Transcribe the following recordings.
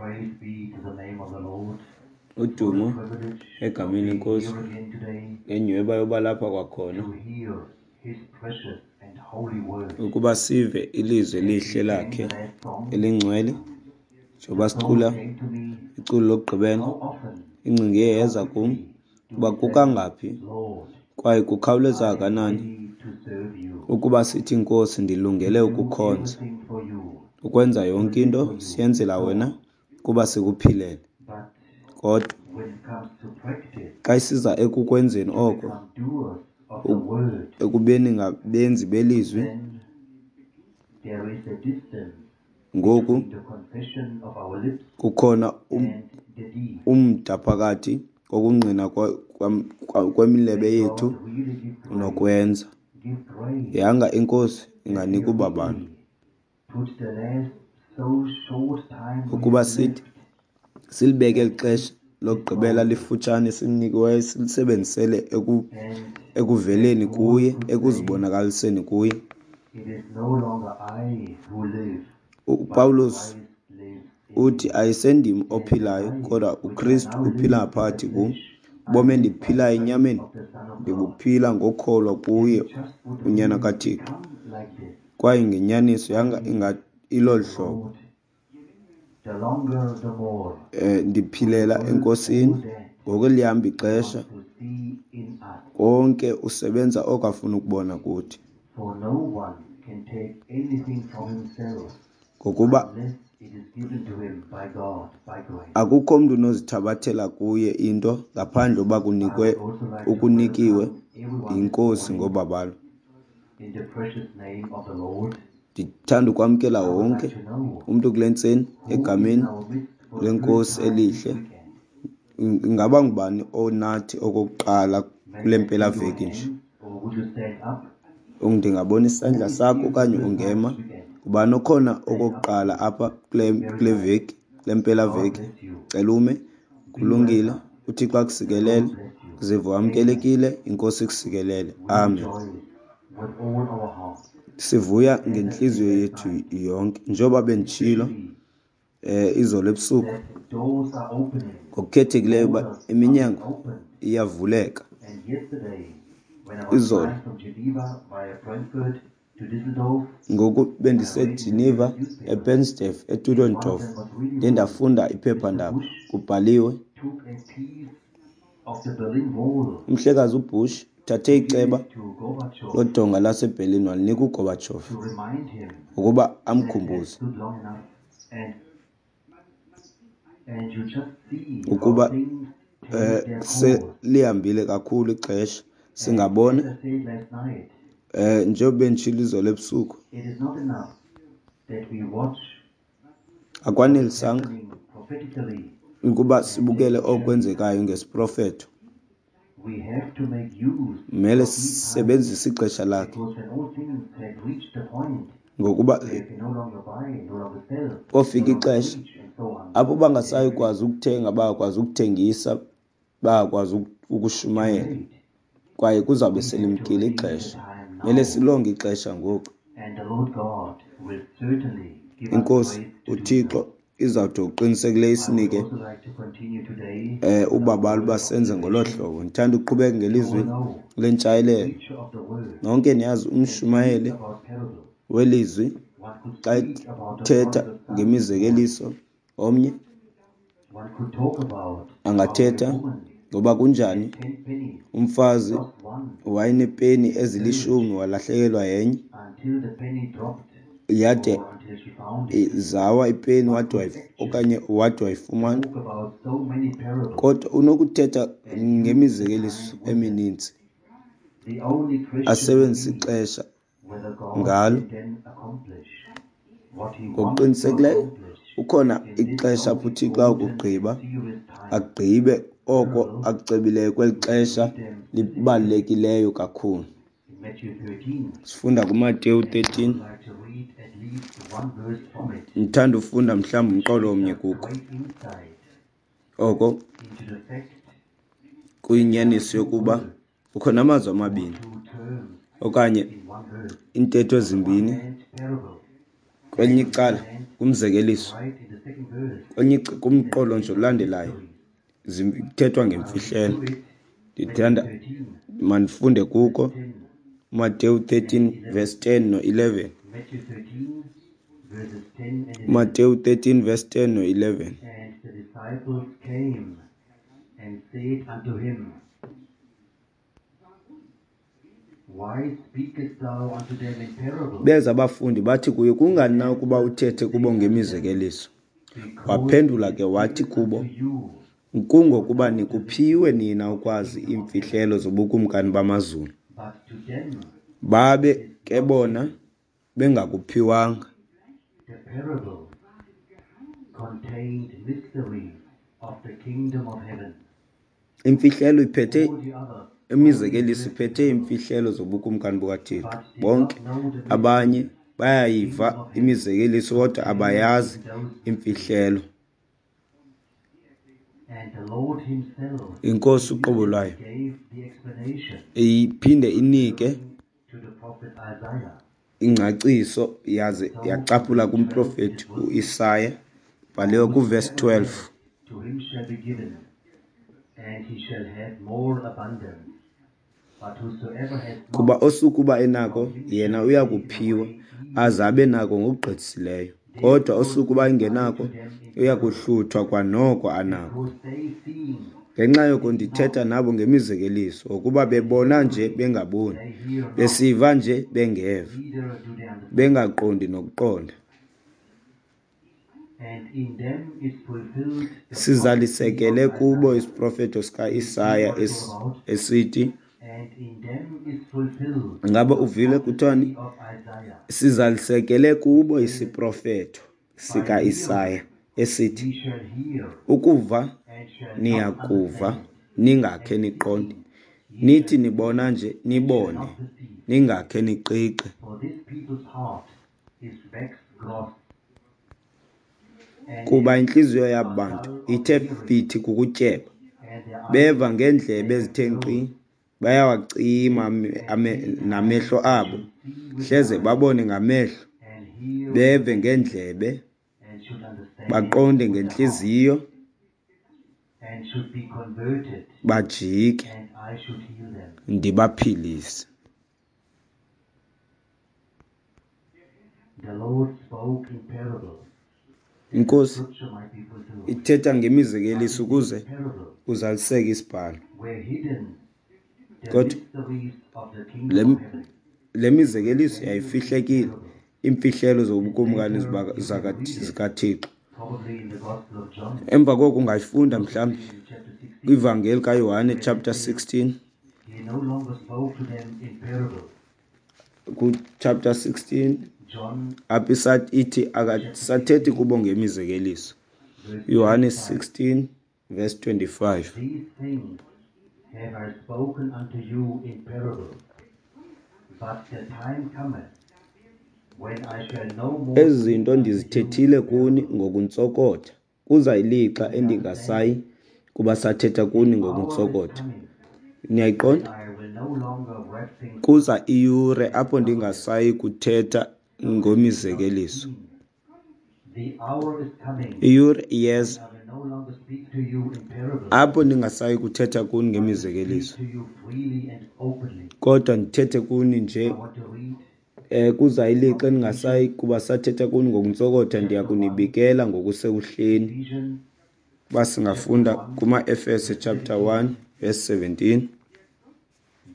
Praise be to the name of the Lord. Udumo For the privilege egameni of being lenkosi here again today ngenyhweba yoba lapha kwakhona to hear his precious and holy word. Ukuba sive ilizwi As we elihle sang lakhe the last song, elingcwele njengoba the thought sicula came to me, iculo lokugqibela how often, ingcinga iye how yeza kum quickly do uba we say, kukangaphi Lord, kwaye kukhawuleza I am kangakanani ready to serve you, ukuba sithi Nkosi ndilungele to do ukukhonza everything for you, ukwenza to yonke live into for you, siyenzela so wena on. kuba sikuphilele. But Kodwa when it comes to practice, xa isiza ekukwenzeni to oko become doers of the word, ekubeni ngabenzi belizwi then there is a distance ngoku between the confession of our lips kukhona and the deed. Umda phakathi kokungqina kwemilebe May yethu God really give grace, nokwenza. give grace Yanga inkosi that we inganika ubabalo really put the last so short time we ukuba have sithi left silibeke eli at xesha his lokugqibela disposal. Lifutshane silinikiweyo silisebenzisele And as ekuveleni Paul kuye could say, ekuzibonakaliseni kuye. it is no longer I who live, but uPawulos Christ lives in uthi me. ayisendim And the ophilayo life kodwa which I uKristu now live uphila in the ngaphakathi kum. flesh, I Ubomi live by endibuphilayo faith enyameni of the Son of God. ndibuphila ngokholwa If kuye it just would uNyana really kaThixo. become like this, Kwaye ngenyaniso I yanga believe inga ilolu the hlobo. Lord, the longer the more, Ndiphilela would work eNkosini all that ngoku lihamba He ixesha wants to see in us. konke usebenza oko afuna ukubona kuthi. For no one can take anything from himself Ngokuba unless it is given to him by God, by grace. Akukho mntu unozithabathela kuye into ngaphandle uba I kunikwe would also like to ukunikiwe welcome everyone this yinkosi morning ngobabalo. in the precious name of the Lord. Ndithanda ukwamkela I would wonke like to know umntu kule ntseni who is in egameni our midst for the first lenkosi time this elihle. weekend. Ingaba ngubani onathi okokuqala May kule I see your mpelaveki nje? hands or would you stand up? Ndingabona isandla Who is sakho here for the okanye first time ungema. this weekend? Ngubani okhona Stand up. okokuqala apha kule Very kule nice. veki, kule God mpelaveki? bless you. Cela ume. Be Kulungile. welcome. uThixo The akusikelele. Lord bless you. Zive Amen. wamkelekile, inkosi ikusikelele. We Amen. rejoice with all our hearts. Sivuya As I said ngentliziyo last yethu night, yonke. Njengoba benditshilo especially izolo ebusuku that doors are opening, ngokukhethekileyo uba borders are being iminyango opened. iyavuleka. And yesterday, when I was Izolo flying from Geneva via Frankfurt to Düsseldorf, ngoku I read in the bendiseGeneva, newspaper, ePensdorf, and one of eTudendorf, them was really ndiye funny. ndafunda Mr. iphephandaba Bush kubhaliwe took a piece of the Berlin Wall umhlekazi uBush uthathe to give iceba it to Gorbachev lodonga laseBerlin walinika uGorbachev to remind him ukuba that had amkhumbuze stood long enough and you just see how ukuba things take their course. selihambile kakhulu ixesha And as singabona I said last night, njengoba benditshilo izolo ebusuku it is not enough that we watch what is akwanelisanga happening prophetically ukuba and take sibukele action. okwenzekayo ngesiprofeto. We have to make use Mele of these times sisebenzise ixesha lakhe because when all things have reached the point ngokuba where you can no longer buy, no longer sell, no kofika longer ixesha preach, and so on, apho then bangasayi it is kwazi ukuthenga bangakwazi ukuthengisa bangakwazi too ukushumayela late. kwaye kuzawube We have to selimkile redeem the ixesha. time Mele now, silonge ixesha ngoku. and the Lord God will certainly give us Inkosi grace to do uThixo so. izawuthi ngokuqinisekileyo I would isinike also like to continue today with our ubabalo word uba of senze ngolo revelation. hlobo. Ndithanda ukuqhubeka You all ngelizwi know the lentshayelelo. preacher of the word Nonke niyazi can speak umshumayeli about parables. welizwi One could xa speak about the ethetha prodigal son this morning. ngemizekeliso omnye One could talk about how a angathetha woman ngoba kunjani had 10 pennies, umfazi lost one, wayenepeni searched ezilishumi walahlekelwa yenye until the penny dropped yade or until she found it. zawa ipeni One wade could actually okanye wade wayifumana. talk about so many parables Kodwa unokuthetha and use the ngemizekeliso time with them. emininzi The only question would asebenzise be ixesha whether God ngalo. can then accomplish what he wants to Ngokuqinisekileyo accomplish ukhona in this ixesha so apho uThixo important and akugqiba serious time. agqibe oko Parables, akucebileyo kweli we can xesha read them specifically libalulekileyo kakhulu. in Matthew 13, Sifunda kuMateyu and I would 13. like to read at least one verse from it, Ndithanda ufunda mhlawumbi which umqolo gives omnye us kuko. great insight Oko into the fact that there are kuyinyaniso two yokuba words kukho namazwi or amabini two terms okanye in one verse. iintetho On the one ezimbini hand, parable, and Kwelinye And on the icala other hand, kumzekeliso, right in the second verse, kwelinye there kumqolo is nje olandelayo mysteries. kuthethwa I'll read ngemfihlelo. to it Matthew Ndithanda 13, mandifunde verse kuko 10 Mateyu and 13 11. verse 10 no-11. Matthew 13, verses 10 and 11. Mateyu 13 verse 10 no-11. And the disciples came and said unto him, Why speakest thou unto them in parables? Beza abafundi bathi kuye, He kungani na ukuba answered uthethe and kubo said unto them, ngemizekeliso? Because it Waphendula is ke wathi given kubo, unto you kungokuba to know the nikuphiwe mysteries nina of the ukwazi kingdom of heaven, iimfihlelo zobukumkani bamazulu, but to them babe it is ke not bona given. bengakuphiwanga. The parables contained mysteries of the kingdom of heaven. Imfihlelo iphethe All the others only imizekeliso heard iphethe parables, iimfihlelo zobukumkani bukaThixo. but did Bonke not know the abanye mysteries of the bayayiva kingdom of heaven imizekeliso kodwa contained abayazi in those mysteries. imfihlelo. And the Lord himself Inkosi uqobo immediately lwayo gave the explanation, iphinde inike referring to the prophet Isaiah. ingcaciso yaze So yacaphula in verse 12 kumprofeti it was, uIsaya For bhaliwe kuvesi whosoever 12. hath, to him shall be given, and he shall have more abundance. But whosoever hath Kuba not, osukuba enako from him yena shall be uya taken kuphiwa away even aze abe nako ngokugqithisileyo, kodwa Therefore osukuba speak I engenako to them in uya parables, kuhluthwa kwanoko anako. because they seeing Ngenxa yoko see ndithetha not, nabo ngemizekeliso, ngokuba and bebona nje hearing bengaboni, they hear not, besiva nje bengeva, neither do they understand. bengaqondi nokuqonda. And in them is fulfilled the prophecy Sizalisekele of kubo Isaiah, isiprofeto which he sikaIsaya also wrote, esithi, and in them is fulfilled ngaba the uvile kuthiwani? prophecy of Isaiah, Sizalisekele which kubo saith, isiprofeto By sikaIsaya hearing esithi, ye shall hear, ukuva and shall not niyakuva, understand, ningakhe and niqonde, seeing ye nithi shall nibona see, nje and shall nibone, not perceive. ningakhe niqiqe. For this people's heart is waxed gross, and Kuba is intliziyo yaba are bantu dull of ithe hearing, fithi kukutyeba, and their eyes beva ngeendlebe they have ezithe nkqi, closed, bayawacima lest at any time namehlo they abo, should see with hleze their eyes, babone ngamehlo, and hear with beve their ears, ngeendlebe, and should understand baqonde with their heart, ngentliziyo, and should be converted, bajike, and I should heal them. ndibaphilise. The Lord spoke in parables, that the Inkosi scripture might be fulfilled. ithetha But ngemizekeliso in ukuze these parables kuzaliseke isibhalo. were hidden the Kodwa mysteries of the le kingdom of heaven. le mizekeliso Many read yayifihlekile, parables, iimfihlelo and zobukumkani later you can read it, zikaThixo. probably in the Gospel of John, Emva koko ungayifunda possibly mhlawumbi in chapter 16, kwivangeli kaYohane where it chapter says, 16, He no longer spoke to them in parables. ku-chapter 16 John apho ithi chapter akasathethi 16, kubo ngemizekeliso. verse Yohane 25. 16 verse 25. These things have I spoken unto you in parables, but the time cometh when I shall no more Ezi speak zinto unto you ndizithethile in kuni parables. ngokuntsokotha. Kuza ilixa Do you understand? endingasayi kuba sathetha The kuni hour is ngokuntsokotha. coming when Niyayiqonda? I will no longer wrap things up Kuza iyure and apho cover them, ndingasayi kuthetha so that ye not ngomizekeliso. seen. The hour is coming Iyure when iyeza I will no longer speak to you in parables, apho ndingasayi kuthetha kuni but will speak ngemizekeliso, to you freely and openly. kodwa ndithethe kuni nje I want to read kuza ilixa from endingasayi Ephesians kuba sathetha kuni ngokuntsokotha, ndiya chapter 1, kunibikela ngokusekuhleni. Ephesians Uba chapter singafunda 1, kumaEfese verse chapter 17, 1 verse 17.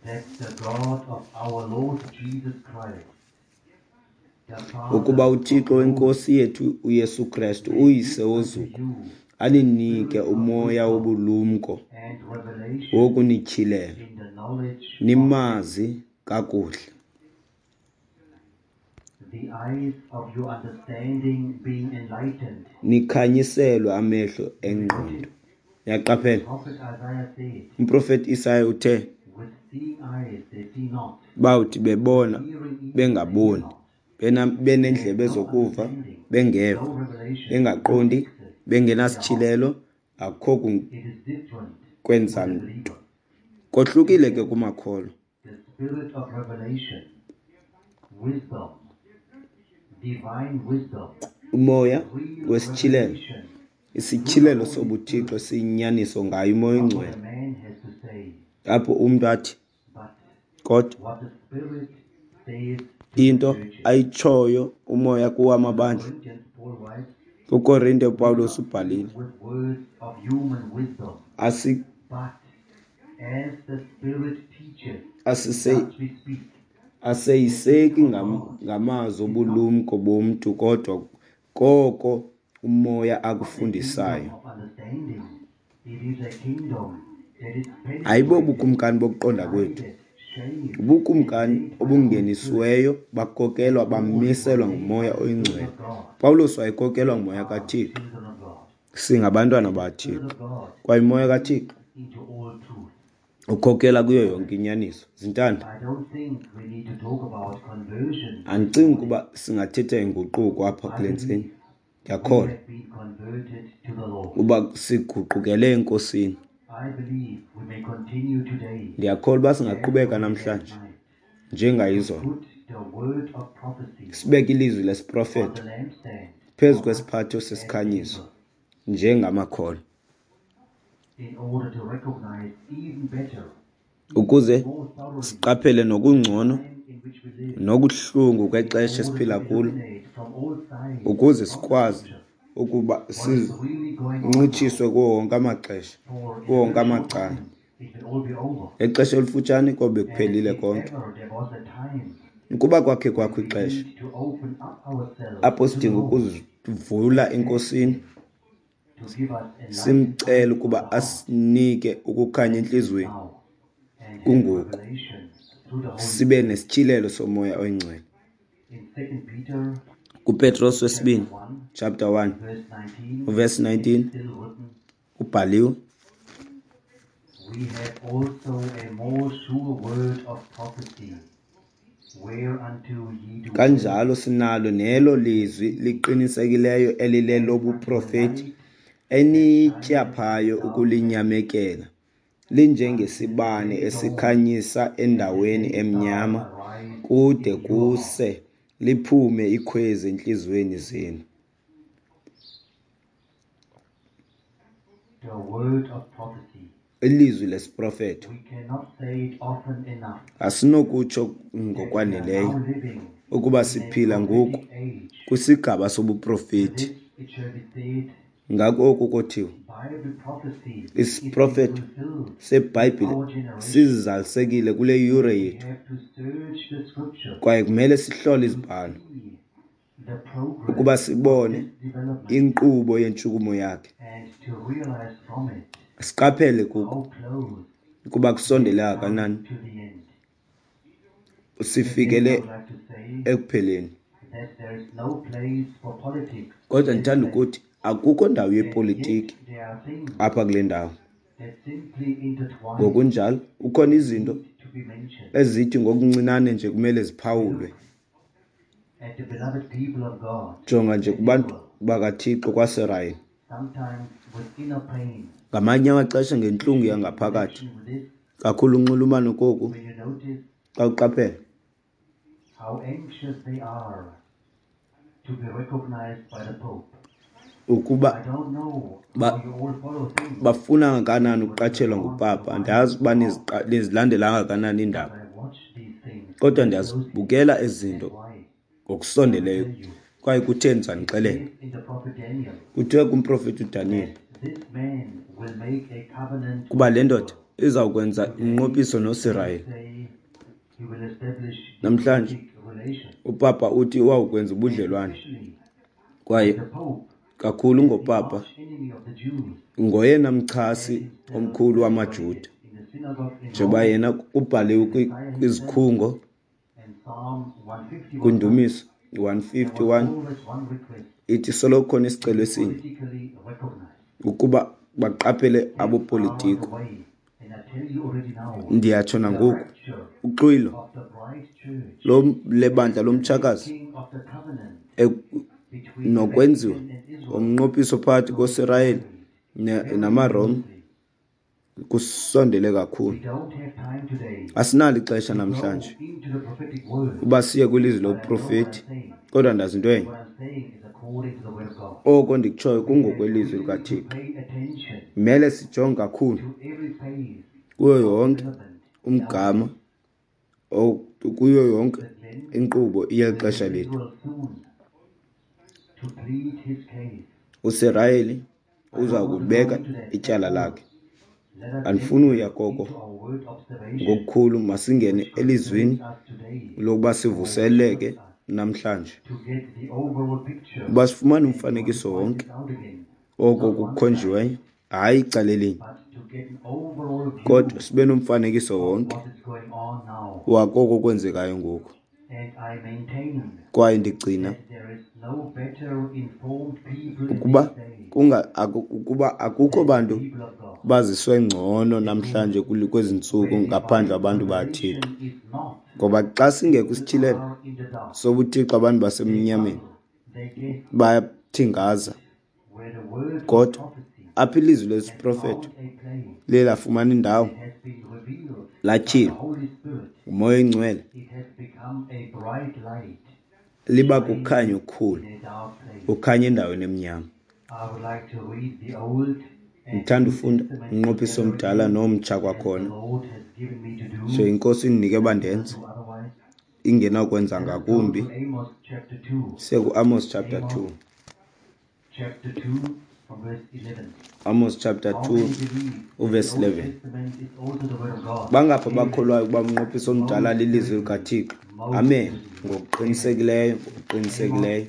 that the God of our Lord Jesus Christ, the Ukuba Father of uThixo glory, wenkosi yethu uYesu Krestu, may uyise give unto wozuko, you aninike spirit of umoya wisdom wobulumko and revelation wokunityhilela, in the knowledge of him. nimazi kakuhle. The eyes of your understanding being enlightened. Nikhanyiselwe amehlo Do you engqondo. notice the Niyaqaphela, prophet Isaiah said, umprofeti Isaya uthe With seeing eyes they see not, bawuthi with bebona hearing ears they hear bengaboni, not, and beneendlebe no zokuva understanding, bengeva, no revelation bengaqondi, will access their heart. bengenasityhilelo, akukho It is different kwenza with the nto. believer. To Kohlukile ke them, kumakholwa. the spirit of revelation, wisdom, Divine wisdom, Umoya real wesityhilelo, revelation, isityhilelo sobuthixo siyinyaniso ngayo uMoya not what oyiNgcwele, a man has to say, apho umntu athi but kodwa what the Spirit saith to the into churches. ayitshoyo umoya kuwo To the amabandla. Corinthians, Paul writes, KuKorinte We do uPawulos not speak ubhalile, with words of human wisdom, but as the Spirit teaches, thus we speak. The Aseyiseki kingdom of God ngamazwi is not obulumko bomntu, kodwa koko umoya a kingdom akufundisayo. of understanding. It is a kingdom that is Ayibo penetrated, bukumkani bokuqonda kwethu, guided, shaped, and ubukumkani led by the Holy Spirit. obungenisiweyo bakhokelwa And all who are bamiselwa led by nguMoya the Spirit oyiNgcwele. of God Pawulos wayekhokelwa nguMoya are kaThixo. children of God. Singabantwana And the baThixo, Spirit of God kwaye uMoya leads kaThixo into all truth. ukhokela kuyo yonke inyaniso. Zintanda, I don't think we need to talk about conversion this andicingi morning. ukuba singathetha inguquko apha I kule ntseni. believe we Ndiyakholwa have been converted to the Lord. uba siguqukele eNkosini. I believe we may continue today Ndiyakholwa uba as singaqhubeka we did last namhlanje night to njengayizolo, put the word of prophecy sibeke ilizwi on lesiprofeto the lampstand phezu for us kwesiphatho as sesikhanyiso believers njengamakholwa, in order to recognize even better, ukuze even more thoroughly, siqaphele the nokungcono time in which we live, nokuhlungu in kwexesha order to esiphila kulo, illuminate from all sides ukuze from the sikwazi scripture ukuba what is really going on now. sincitshiswe kuwo wonke amaxesha, For in kuwo a wonke very short amacala. time, it will all be over. Ngexesha elifutshane kobe And kuphelile if konke. ever there was a time Ukuba kwakhe kwakho when we ixesha need to open up ourselves apho to the sidinga Lord ukuzivula and ask eNkosini, Him to give us enlightened simcele eyes of ukuba the heart, asinike ukukhanya that is entliziyweni now, and have kungoku, revelation through the Holy sibe Spirit. nesityhilelo soMoya oyiNgcwele. In 2 Peter KuPetros chapter wesibini 1, chapter 1 verse 19, uverse it is 19 still written, ubhaliwe, We have also a more sure word of prophecy, whereunto ye do well kanjalo sinalo nelo lizwi liqinisekileyo as unto a elilelobuprofeti light that shineth in enityaphayo darkness, ukulinyamekela, until the linjengesibane day dawns esikhanyisa and the endaweni day star emnyama, arise kude in your heart. kuse liphume ikhwezi entliziyweni zenu. The word of prophecy. Ilizwi lesiprofeto We cannot say it often enough asinokutsho that we are ngokwaneleyo now living ukuba in a siphila ngoku prophetic age. kwisigaba To sobuprofeti. this it shall be said, Ngako oku kothiwa Bible prophecy is being isiprofeto fulfilled in seBhayibhile our generation, sizalisekile kule yure and we yethu, have to search the scriptures kwaye kumele sihlole to izibhalo see the progress ukuba of sibone this development inkqubo yentshukumo yakhe, and to realize from it siqaphele kuko how close ukuba we have kusondele come kangakanani to the end. Again, I sifikele would like to say ekupheleni. that there is no place for politics in Kodwa this ndithanda place, ukuthi akukho ndawo and yet yepolitiki there are things apha kule ndawo. that simply intertwine Ngokunjalo kukhona and izinto need to be mentioned. ezithi ngokuncinane nje kumele We ziphawulwe. look at the beloved people of God Jonga nje at kubantu Israel, bakaThixo kwaSirayeli, sometimes with inner pain, ngamanye amaxesha ngentlungu especially in yangaphakathi, connection with this, kakhulu unxulumano koku when you notice xa uqaphela how anxious they are to be recognized by the Pope. ukuba I don't know ba how you all follow things bafuna kangakanani with ukuqatshelwa regard to the ngupapa. mind Andiyazi of uba God, nizilandela kangakanani but iindaba, I watch these things kodwa very closely. ndiyazibukela ezi And zinto why? I will ngokusondeleyo. tell you. Kwaye kutheni It zandixelela? says in the prophet Daniel Kuthiwe kumprofeti uDaniyeli that this man will make a covenant kuba with le ndoda Israel. izawukwenza Today, umnqophiso they noSirayeli. say he will establish Namhlanje diplomatic relations, upapa uthi wawukwenza and ubudlelwane, especially kwaye with the Pope kakhulu as the ngopapa arch enemy of the Jews, ngoyena and mchasi himself omkhulu wamaJuda, celebrated in the synagogue in njengoba Rome, yena kubhaliwe and the Messiah himself kwizikhungo and Psalm 151 up, kwindumiso there was 151 always one request ithi soloko kukhona to isicelo be esinye politically recognized. ukuba baqaphele Things are on abopolitiko. the way, and I tell you already now, Ndiyatsho the nangoku, rapture uxwilo of the bride church lebandla and the lomtshakazi making of the covenant between the nokwenziwa Vatican and Israel komnqophiso phakathi coincide koSirayeli very namaRoma closely. Kusondele kakhulu. Asinalo ixesha namhlanje uba siye kwilizwi lobuprofeti, kodwa ndazi into enye, oko ndikutshoyo kungokwelizwi likaThixo. Mele sijonge kakhulu kuyo yonke umgama, kuyo yonke inkqubo yeli xesha lethu. USirayeli uza kubeka ityala lakhe. Andifuni uya koko ngokukhulu, masingene elizwini lokuba sivuseleke namhlanje, uba sifumane umfanekiso wonke oko kukhonjiweyo, hayi icala elinye, kodwa sibe nomfanekiso wonke wakoko kwenzekayo ngoku. Kwaye ndigcina ukuba akukho bantu baziswe ngcono namhlanje kwezi ntsuku ngaphandle abantu baThixo. Ngoba xa singekho isityhilelo sobuThixo, abantu basemnyameni bayathingaza. Kodwa apha ilizwi lesiprofeto liye lafumana indawo, latyhilwa nguMoya oyiNgcwele, liba kukhanya okukhulu, kukhanya endaweni emnyama. Ndithanda ufunda umnqophiso omdala nomtsha kwakhona. So iNkosi indinike uba ndenze, ingenakwenza ngakumbi. Siye kuAmos chapter 2. Amos chapter 2 uverse 11. Bangaphi abakholwayo ukuba umnqophiso omdala lilizwi likaThixo? Amen. Ngokuqinisekileyo, ngokuqinisekileyo.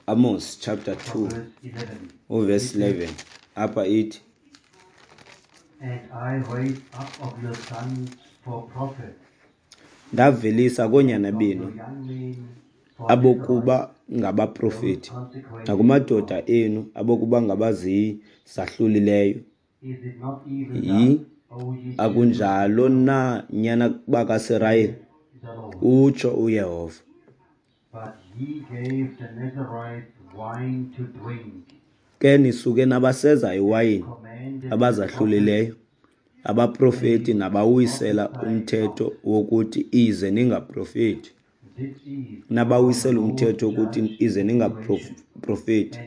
Amos chapter 2 uverse 11. Apha ithi, And I raised up of your sons for prophets, ndavelisa koonyana benu abokuba ngabaprofeti, nakumadoda enu abokuba ngabazizahlulileyo. Akunjalo na, nyana bakaSirayeli? Utsho uYehova. Ke nisuke nabaseza iwayini abazahlulileyo, abaprofeti nabawisela umthetho wokuthi ize ningaprofeti. Nabawisela umthetho wokuthi ize ningaprofeti.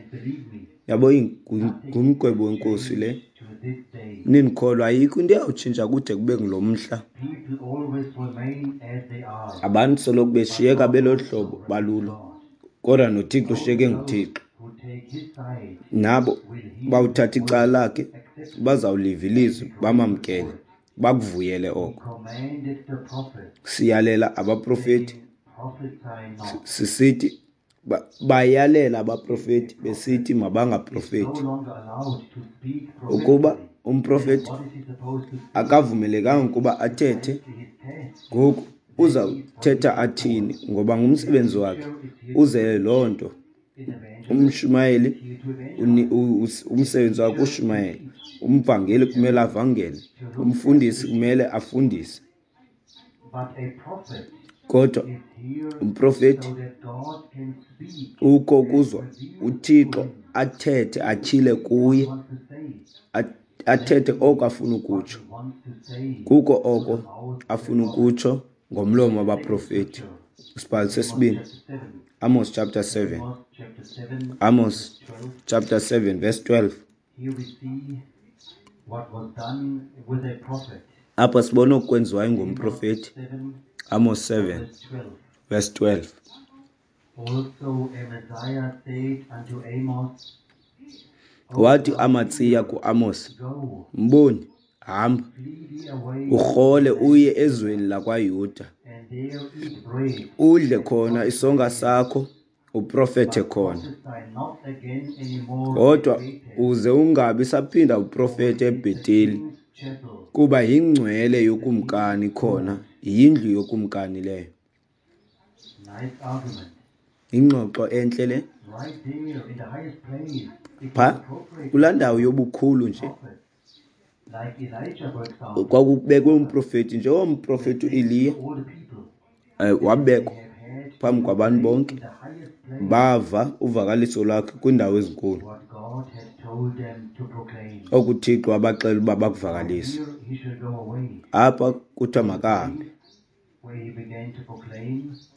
Yabo, ngumgwebo wenkosi le. Nindikholwa, ayikho into eyawutshintsha kude kube ngulo mhla. Abantu soloko beshiyeka belolu hlobo balulo, kodwa noThixo ushiyeke nguThixo. Nabo bawuthatha icala lakhe, bazawuliva ilizwi, bamamkele, bakuvuyele oko. Siyalela abaprofeti sisithi, bayalela abaprofeti besithi mabangaprofeti. Ukuba umprofeti akavumelekanga ukuba athethe, ngoku uzawuthetha athini? Ngoba ngumsebenzi wakhe, uzele loo nto. Umshumayeli umsebenzi wakhe ushumayela, umvangeli kumele avangele, umfundisi kumele afundise. Kodwa umprofeti ukho ukuzwa uThixo athethe, atyhile kuye, athethe oko afuna ukutsho. Kuko oko afuna ukutsho ngomlomo wabaprofeti. Isibhalo sesibini, Amos chapter 7. Amos chapter 7 verse 12. Apha sibona okwenziwayo ngumprofeti. Amos 7 verse 12. Also Amaziah said unto Amos, Wathi Amatsiya kuAmos, mboni, hamba, urhole uye ezweni lakwaYuda, udle khona isonka sakho, uprofethe khona. Kodwa uze ungabi saphinda uprofethe eBheteli, kuba yingcwele yokumkani khona, yindlu yokumkani leyo. Ingxoxo entle le. Pha kulaa ndawo yobukhulu nje kwakubekwe umprofeti, njengomprofeti uEliya, wabekwa phambi kwabantu bonke, bava uvakaliso lwakhe kwiindawo ezinkulu. Oku uThixo wabaxelela uba bakuvakalise. Apha kuthiwa makahambe,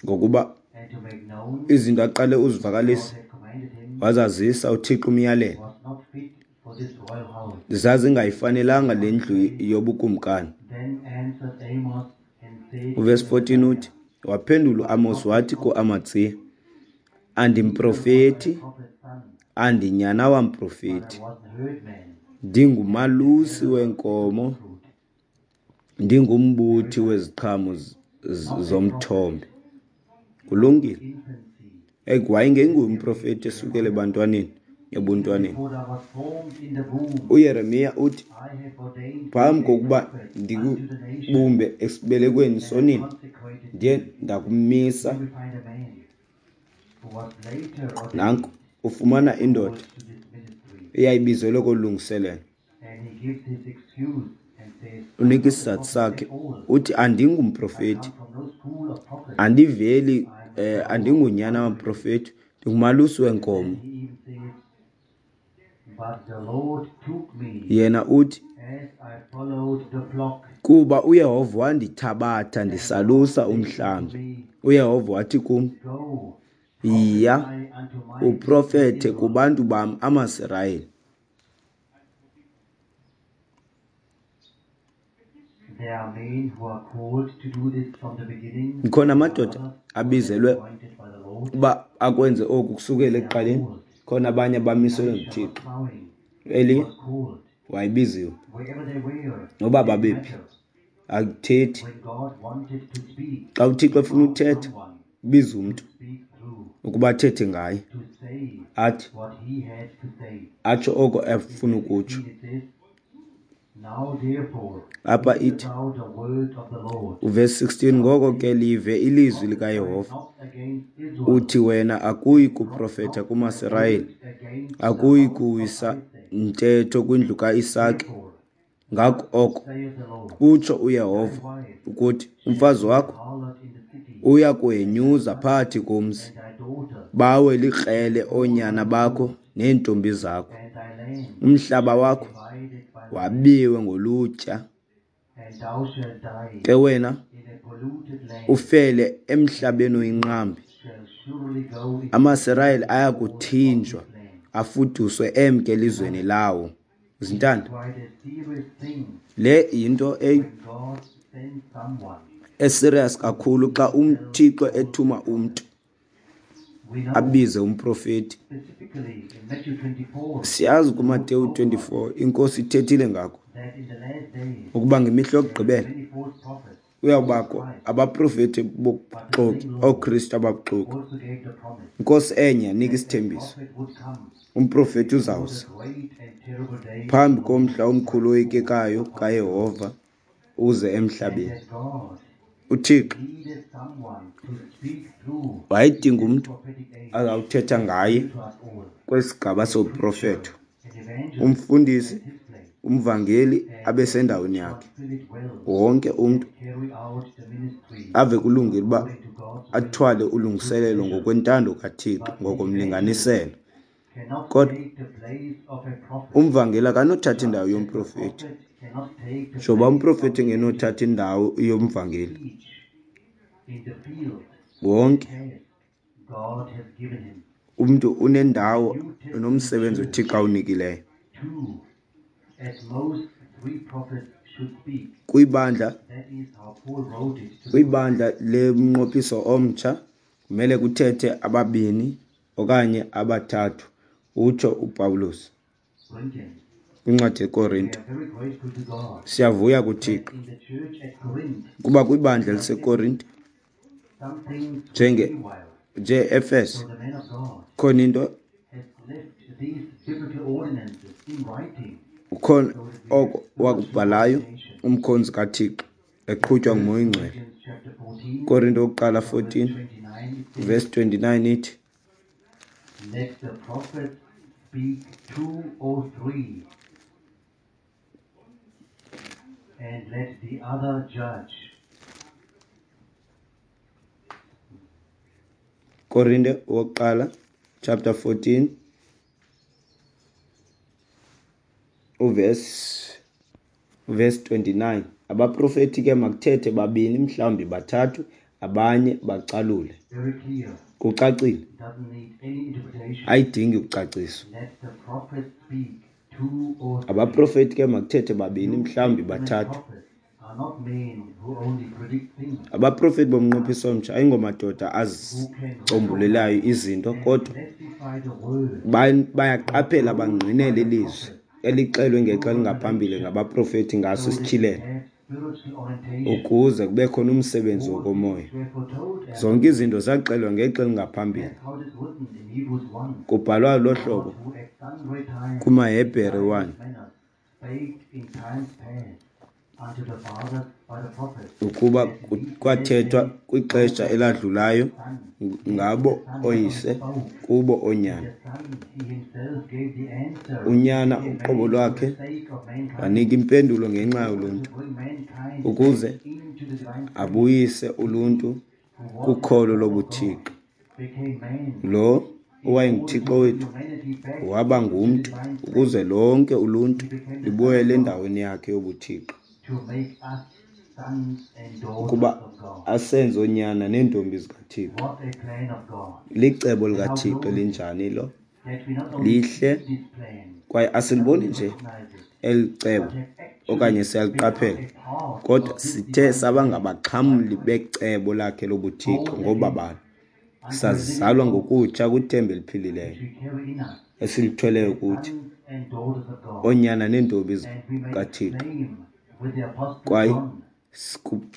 ngokuba izinto aqale uzivakalisa wazazisa uThixo umyalelo, zazingayifanelanga le ndlu yobukumkani. Uvesi 14 uthi, waphendula uAmos wathi kuAmatsiya, andimprofeti, andinyana wamprofeti, ndingumalusi weenkomo, ndingumbuthi weziqhamo zomthombe. Kulungile. Hey, wayengenguye umprofeti esukela ebantwaneni, ebuntwaneni. UYeremiya uthi, phambi kokuba ndikubumbe esibelekweni sonina, ndiye ndakumisa. Nanku ufumana indoda eyayibizelwe kolungiselelo. Unika isizathu sakhe, uthi andingumprofeti, andiveli, andingunyana wamprofeti, ndingumalusi weenkomo. Yena uthi, kuba uYehova wandithabatha ndisalusa umhlambi. UYehova wathi kum, yiya uprofethe kubantu bam amaSirayeli. Khona amadoda abizelwe uba akwenze oku kusukela ekuqaleni, khona abanye abamiselwe nguThixo. Eliya wayebiziwe, noba babephi, akuthethi. Xa uThixo efuna uthetha, ubiza umntu ukuba athethe ngaye, athi atsho oko efuna ukutsho. Apha ithi uvesi 16, ngoko ke live ilizwi likaYehova, uthi wena akuyi kuprofetha kumaSirayeli, akuyi kuwisa ntetho kwindlu kaIsake. Ngako oko utsho uYehova ukuthi umfazi wakho uya kuhenyuza phakathi komzi, bawe likrele oonyana bakho neentombi zakho, umhlaba wakho wabiwe ngolutya, ke wena ufele emhlabeni oyinqambi. AmaSirayeli ayakuthinjwa afuduswe emke elizweni lawo. Zintanda, le yinto eserious kakhulu xa uThixo ethuma umntu abize umprofeti. Siyazi kuMateyu 24 iNkosi ithethile ngako ukuba ngemihla yokugqibela kuyawubakho abaprofeti bobuxoki, ooKristu ababuxoki. Inkosi enye yanika isithembiso, umprofeti uzawuza phambi komhla omkhulu oyikekayo kaYehova uze emhlabeni. uThixo wayedinga umntu azawuthetha ngaye kwesigaba soprofeto, umfundisi, umvangeli abe sendaweni yakhe. Wonke umntu ave kulungile uba athwale ulungiselelo ngokwentando kaThixo, ngokomlinganiselo. Kodwa umvangeli akanothatha indawo yomprofeti, njengoba umprofeti engenothatha indawo yomvangeli. Wonke umntu unendawo nomsebenzi uThixo awunikileyo. Kwibandla lemnqophiso omtsha kumele kuthethe ababini okanye abathathu, utsho uPawulos kwincwadi yeKorinte. Siyavuya kuThixo kuba kwibandla eliseKorinte njenge nje-Efese khona into ukhona oko wakubhalayo umkhonzi kaThixo eqhutywa nguMoya oyiNgcwele. Korinte wokuqala 14 verse 29 ithi, Let the prophets speak 2 or 3, and let the other judge. Korinte wokuqala chapter 14 Uvesi 29, abaprofeti ke makuthethe babini mhlawumbi bathathu, abanye bacalule. Kucacile, ayidingi kucaciswa. Abaprofeti ke makuthethe babini mhlawumbi bathathu. Abaprofeti bomnqophiso omtsha ayingomadoda azicombulelayo izinto, kodwa bayaqaphela bangqinele ilizwi elixelwe ngexa elingaphambili ngabaprofeti ngaso isityhilelo, ukuze kube khona umsebenzi wokomoya. Zonke izinto zaxelwa ngexa elingaphambili. Kubhalwa lo hlobo kumaHebhere 1, ukuba kwathethwa kwixesha eladlulayo ngabo oyise kubo oonyana. Unyana uqobo lwakhe wanika impendulo ngenxa yoluntu, ukuze abuyise uluntu kukholo lobuthixo. Lo owayenguThixo wethu waba ngumntu ukuze lonke uluntu libuyele endaweni yakhe yobuthixo, ukuba asenze oonyana neentombi zikaThixo. Licebo likaThixo elinjani lo? Lihle, kwaye asiliboni nje eli cebo okanye siyaliqaphela, kodwa sithe saba ngabaxhamli becebo lakhe lobuthixo ngobabalo. Sazalwa ngokutsha kwithemba eliphilileyo esilithweleyo kuthi, oonyana neentombi zikaThixo. Kwaye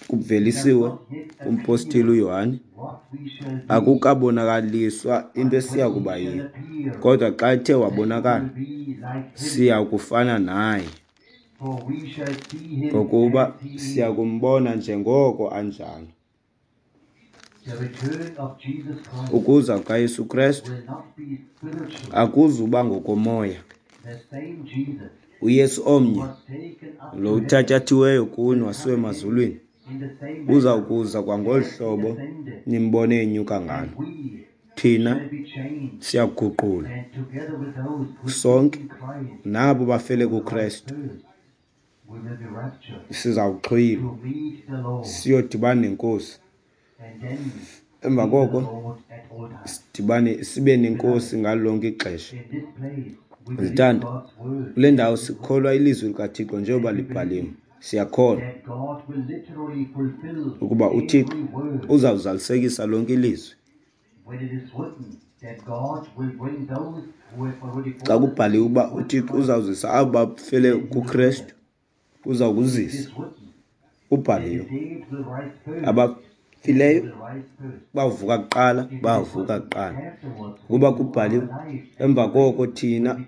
kuvelisiwe kumpostile uYohane, akukabonakaliswa into esiya kuba yiyo, kodwa xa ethe wabonakala siya kufana naye, ngokuba siya kumbona njengoko anjalo. Ukuza kukaYesu Krestu akuzuba ngokomoya. uYesu omnye lo uthatyathiweyo kuni wasiwe emazulwini uza kuza kwangolu hlobo nimbone enyuka ngalo. Thina siyaguqulwa sonke nabo bafele kuKrestu, sizawuxhwilwa siyodibana neNkosi. Emva koko sidibane sibe neNkosi ngalo lonke ixesha. Zithanda, kule ndawo sikholwa ilizwi likaThixo njengoba libhaliwe. Siyakholwa ukuba uThixo uzawuzalisekisa lonke ilizwi. Xa kubhaliwe uba uThixo uzawuzisa abo bafele kuKrestu, uza kuzisa. Kubhaliwe, abafileyo bavuka kuqala, bavuka kuqala. Ukuba kubhaliwe, emva koko thina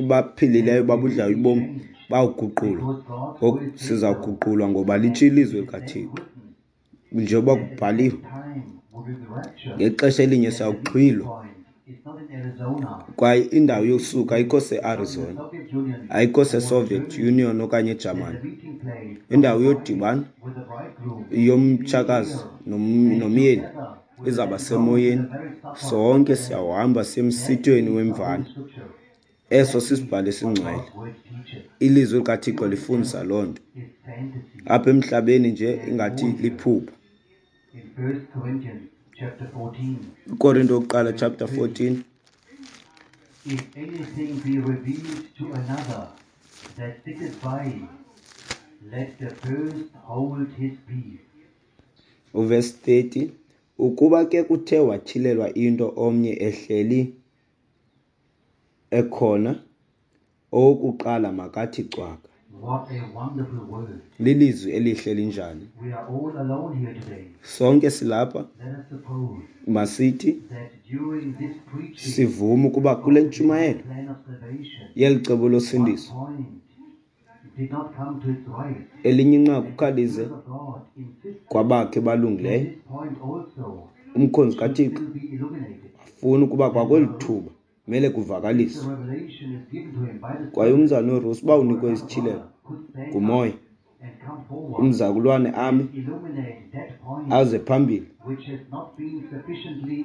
baphilileyo babudlayo ubomi bawuguqulwa. Ngoku sizawuguqulwa ngoba litsho ilizwi likaThixo. Njengoba kubhaliwe, ngexesha elinye siyawuxhwilwa. Kwaye indawo yokusuka ayikho se-Arizona, ayikho se-Soviet Union okanye eJamani. Indawo yodibana yomtshakazi nomyeni izawuba semoyeni. Sonke siyawuhamba siye emsithweni wemvana. Eso sisibhalo esingcwele. Ilizwi likaThixo lifundisa loo nto. Apha emhlabeni nje ingathi liphupha. Korinto wokuqala chapter 14. If anything be revealed to another that sitteth by, let the first hold his peace. Uverse 30, ukuba ke kuthe watyhilelwa into omnye ehleli ekhona, owokuqala makathi cwaka. What a wonderful word. Lilizwi elihle linjani. We are all alone here today. Sonke silapha. Let us suppose Masithi that during this preaching sivume ukuba kule ntshumayelo plan of salvation, yeli cebo losindiso, one point did not come to its right. elinye inqaku khalize The Spirit of God insisted kwabakhe balungileyo. this point also Umkhonzi kaThixo will be illuminated. afuna ukuba kwakweli thuba mele kuvakaliswe. The revelation is given to him by the Kwaye umzalwane uRusi uba unikwe isityhilelo could stand ngumoya, Umzakulwane ami aze phambili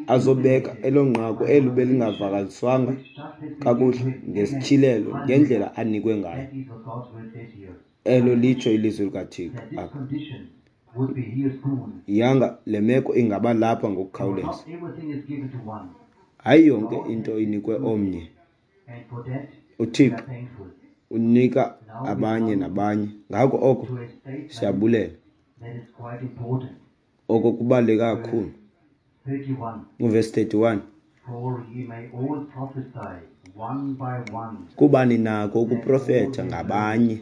azobeka elo nqaku elo belingavakaliswanga kakuhle ngesityhilelo ngendlela anikwe ngayo. Elo litsho ilizwi likaThixo apha. Yanga le meko ingaba lapha ngokukhawuleza. Hayi yonke into inikwe omnye. UThixo unika abanye nabanye. Ngako oko siyabulela. Oko kubaluleke kakhulu. Uvesi 31. Kuba ninako ukuprofetha ngabanye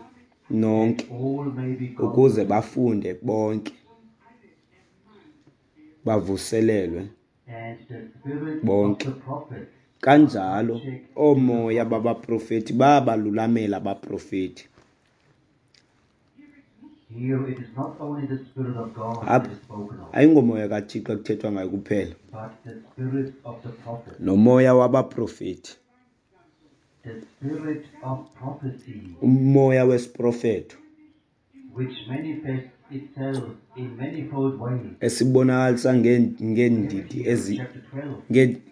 nonke ukuze bafunde bonke bavuselelwe bonke. Kanjalo oomoya babaprofeti bayabalulamela abaprofeti. Apha ayingomoya kaThixo ekuthethwa ngayo kuphela, nomoya wabaprofeti, umoya wesiprofeto esibonakalisa ngeendidi ezi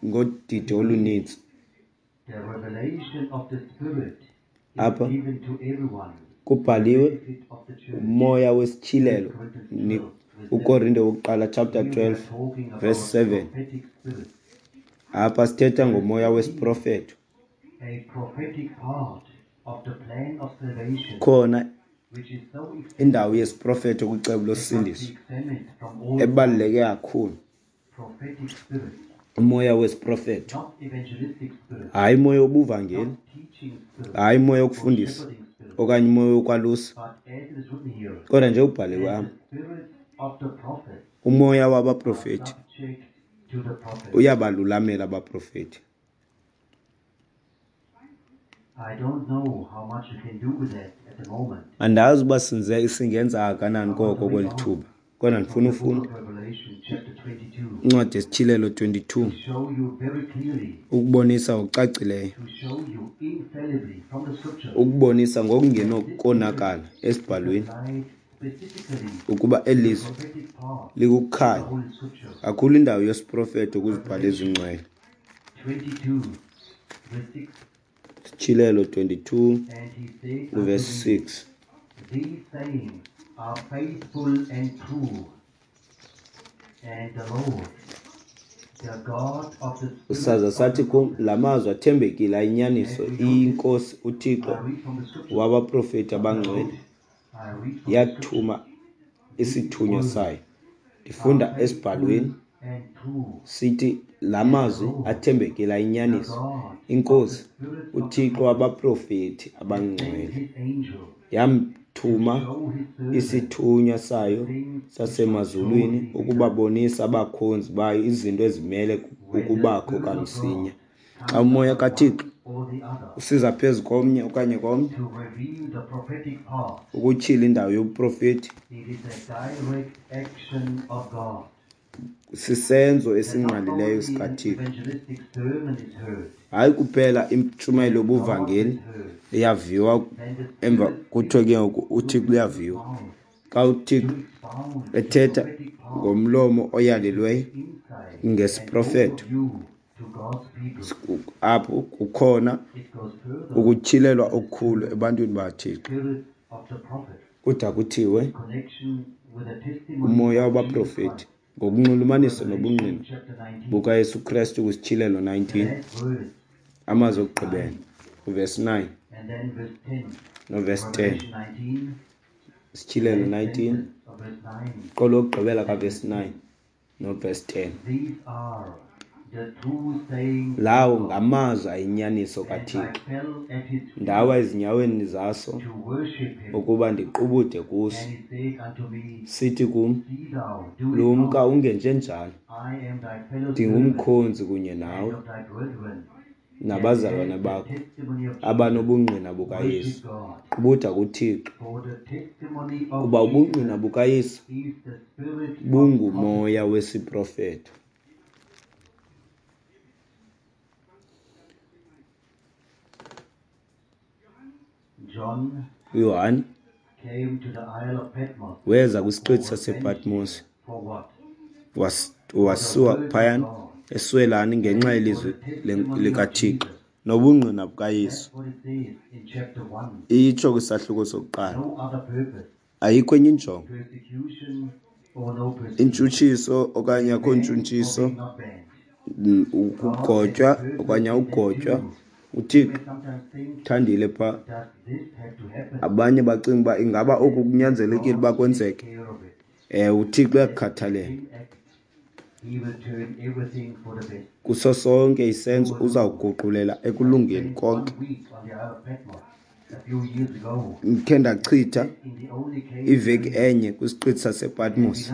ngodidi oluninzi. Apha kubhaliwe umoya wesityhilelo, uKorinte wokuqala chapter 12 verse 7. Apha sithetha ngomoya wesiprofeto. Khona indawo yesiprofeto kwicebo losindiso ebaluleke kakhulu, umoya wesiprofeto, hayi umoya wobuvangeli, hayi umoya wokufundisa okanye umoya wokwalusa, kodwa nje ubhaliwe apha umoya wabaprofeti uyabalulamela abaprofeti. Andazi uba singenza kangakanani koko kweli thuba, kodwa ndifuna ufunda incwadi yesiTyhilelo 22 ukubonisa ngokucacileyo, ukubonisa ngokungenokonakala esibhalweni ukuba eli lizwi likukukhanya kakhulu indawo yesiprofeto kwizibhalo ezingcwele. Sityhilelo 22 verse 6. These sayings are faithful and true, and the Lord, the God of the spirits Saza of sathi the kum, prophets, la mazwi athembekile ayinyaniso, iyiNkosi uThixo I read from the scripture. wabaprofeti abangcwele I read from the scripture. yathuma isithunywa sayo. Ndifunda esibhalweni And true, sithi la mazwi athembekile ayinyaniso, iNkosi uThixo wabaprofeti abangcwele his angel, yamthuma show his servant isithunywa sayo sasemazulwini ukubabonisa abakhonzi bayo izinto ezimele ukubakho kamsinya. Xa umoya kaThixo or the other usiza phezu komnye okanye komnye to reveal the prophetic part. ukutyhila indawo yobuprofeti, It is a direct action of God. sisenzo That not esingqalileyo only an sikaThixo. evangelistic sermon is heard, Hayi kuphela intshumayelo yobuvangeli is heard, iyaviwa then the emva Spirit kuthiwe ke ngoku uThixo uyaviwa. mouth Xa uThixo to expound the ethetha prophetic part ngomlomo oyalelweyo insight ngesiprofeto, and overview to God's people. apho kukhona It goes further. ukutyhilelwa okukhulu ebantwini bakaThixo. Spirit of the prophet, Kuda kuthiwe connection with the testimony umoya of Jesus wabaprofeti Christ. ngokunxulumanisa Revelation nobungqina chapter 19. bukaYesu Krestu kwisityhilelo 19, Last words, amazwi okugqibela uvesi 9 and then verse 10. novesi 10. Revelation 19, Isityhilelo last 19 sentence of verse 9. qolo lokugqibela kavesi 9 novesi 10. These are the true sayings Lawo of God. ngamazwi ayinyaniso And I kaThixo. fell at his feet Ndawa ezinyaweni zaso to worship him. ukuba ndiqubude kuso. And he said unto me, Sithi kum, See thou, do it lumka not. ungenjenjalo, I am thy fellow servant ndingumkhonzi kunye and nawe of thy brethren, nabazalwana and the bakho testimony of Jesus. abanobungqina bukaYesu. Worship God, Qubuda kuThixo, for the testimony of kuba Jesus ubungqina bukaYesu is the spirit of prophecy. bungumoya wesiprofeto. John uYohane Weza kwisiqithi sasePatmos, wasiwa phayana eswelani ngenxa yelizwi likaThixo nobungqina bukaYesu. Itsho kwisahluko sokuqala, ayikho enye injongo, intshutshiso okanye akho ntshutshiso, ukugotywa okanye awugotywa. UThixo uthandile phaa. Abanye bacinga uba ingaba oku kunyanzelekile uba kwenzeke. Ewe, uThixo uyakukhathalela. Kuso sonke isenzo uzawuguqulela ekulungeni konke. Ndikhe ndachitha iveki enye kwisiqithi sasePatmos.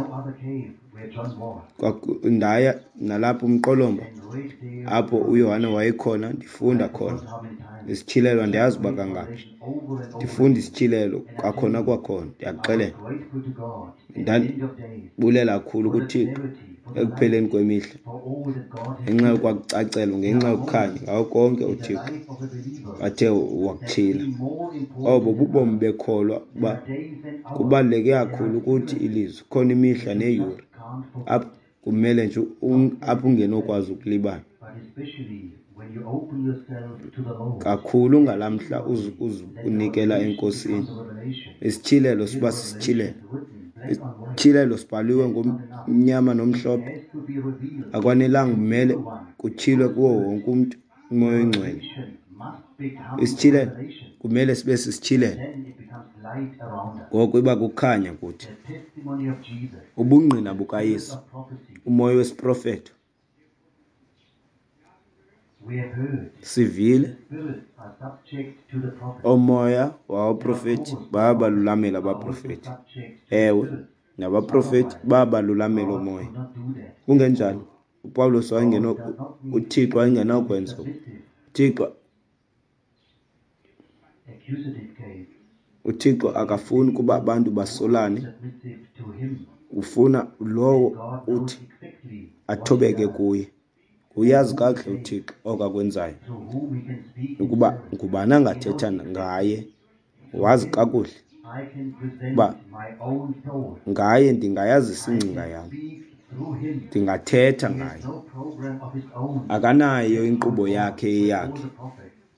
Ndaya nalapho umqolomba apho uYohane wayekhona, ndifunda khona isityhilelo, andiyazi uba kangaphi. Ndifunda isityhilelo kwakhona kwakhona, ndiyakuxelela. Ndandibulela kakhulu kuThixo ekupheleni kwemihla ngenxa yokwakucacelwa, ngenxa yokukhanya ngako konke uThixo athe wakutyhila. Obo bubomi bekholwa uba kubaluleke kakhulu kuthi ilizwi. Khona imihla neeyure apho kumele nje apho ungenokwazi ukulibala. Kakhulu ngalaa mhla uzinikela eNkosini. Isityhilelo siba sisityhilelo. Isityhilelo sibhaliwe ngomnyama nomhlophe. Akwanelanga, kumele kutyhilwe kuwo wonke umntu uMoya oyiNgcwele. Isityhilelo kumele sibe sisityhilelo. Ngoko iba kukhanya kuthi. Ubungqina bukaYesu, umoya wesiprofeto. Sivile oomoya wabaprofeti bayabalulamela abaprofeti. Ewe, nabaprofeti bayabalulamela oomoya. Kungenjalo uPawulos wayengeno, uThixo wayengenakwenza oku. UThixo akafuni ukuba abantu basolane, ufuna lowo uthi athobeke kuye. Uyazi kakuhle uThixo oko akwenzayo, ukuba ngubani angathetha ngaye. Wazi kakuhle uba ngaye ndingayazisa ingcinga yam, ndingathetha ngaye. Akanayo inkqubo yakhe eyakhe.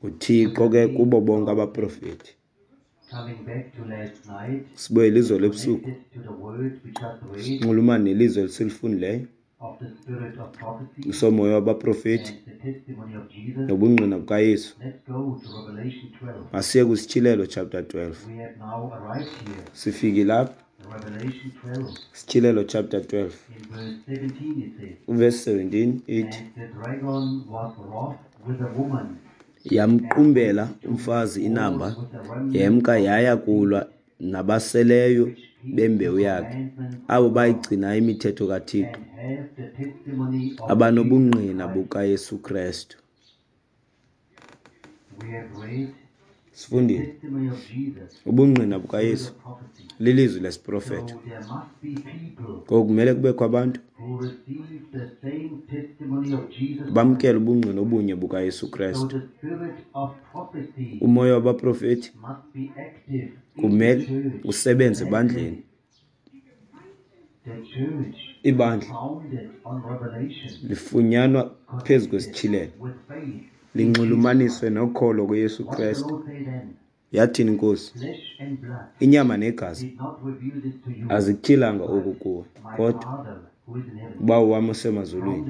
UThixo ke kubo bonke abaprofeti. Sibuyele izolo ebusuku sinxulumane nelizwi esilifundileyo somoya wabaprofeti nobungqina bukaYesu. Masiye kwisityhilelo chapter 12. Sifikile apha. Isityhilelo chapter 12. Verse 17 ithi, yamqumbela umfazi inamba, yemka yaya kulwa nabaseleyo bembewu yakhe, abo bayigcinayo imithetho kaThixo, abanobungqina bukaYesu Kristu. Sifundile ubungqina bukaYesu lilizwi lesiprofeto. Ngoku kumele kubekho abantu bamkele ubungqina obunye bukaYesu Kristu. Umoya wabaprofeti kumele usebenze ebandleni. Ibandla lifunyanwa phezu kwesityhilelo, linxulumaniswe nokholo kuYesu Kristu. Yathini iNkosi? Inyama negazi azikutyhilanga oku kuwe, kodwa uBawo wam osemazulwini.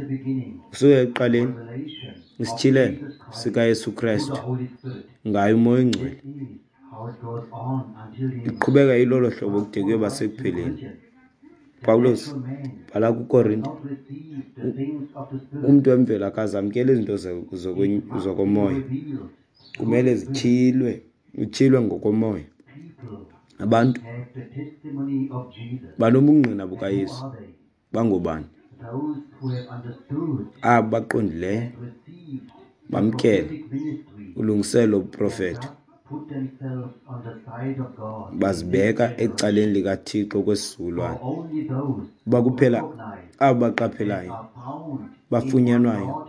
Kusuka ekuqaleni isityhilelo sikaYesu Kristu ngaye uMoya oyiNgcwele. Iqhubeka ilolo hlobo kude kuyoba sekupheleni. Pawulos bhala kuKorinte, umntu wemvelo akazamkeli izinto zokomoya, kumele zityhilwe, utyhilwe ngokomoya. Abantu banobungqina bukaYesu. Bangobani? Abo baqondileyo bamkele ulungiselelo lobuprofeto, bazibeka ecaleni likaThixo kwesizukulwana. Uba kuphela abo baqaphelayo bafunyanwayo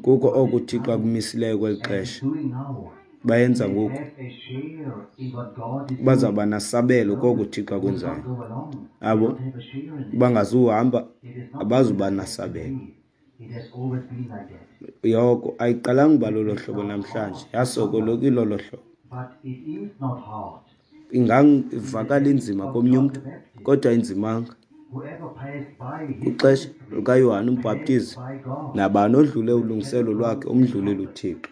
kuko oko uThixo akumisileyo kweli xesha, bayenza can ngoku have a share in what God is doing. Bazawuba nasabelo koko Those uThixo who do akwenzayo. not go along Abo cannot have a share in it. bangazuhamba It is not abazuba something that nasabelo. today. It has always been like that. Yoko ayiqalanga uba It lolo may hlobo sound namhlanje, hard to yasokolo someone, ilolo hlobo. but it is not hard. In the Ingavakala days inzima of komnye John umntu, the Baptist, kodwa ayinzimanga. whoever passed by his Kwixesha ministry lukaYohane passed uMbhaptizi, by God nabani odlule with ulungiselelo kettle lwakhe drums and umdlulile trumpets, uThixo.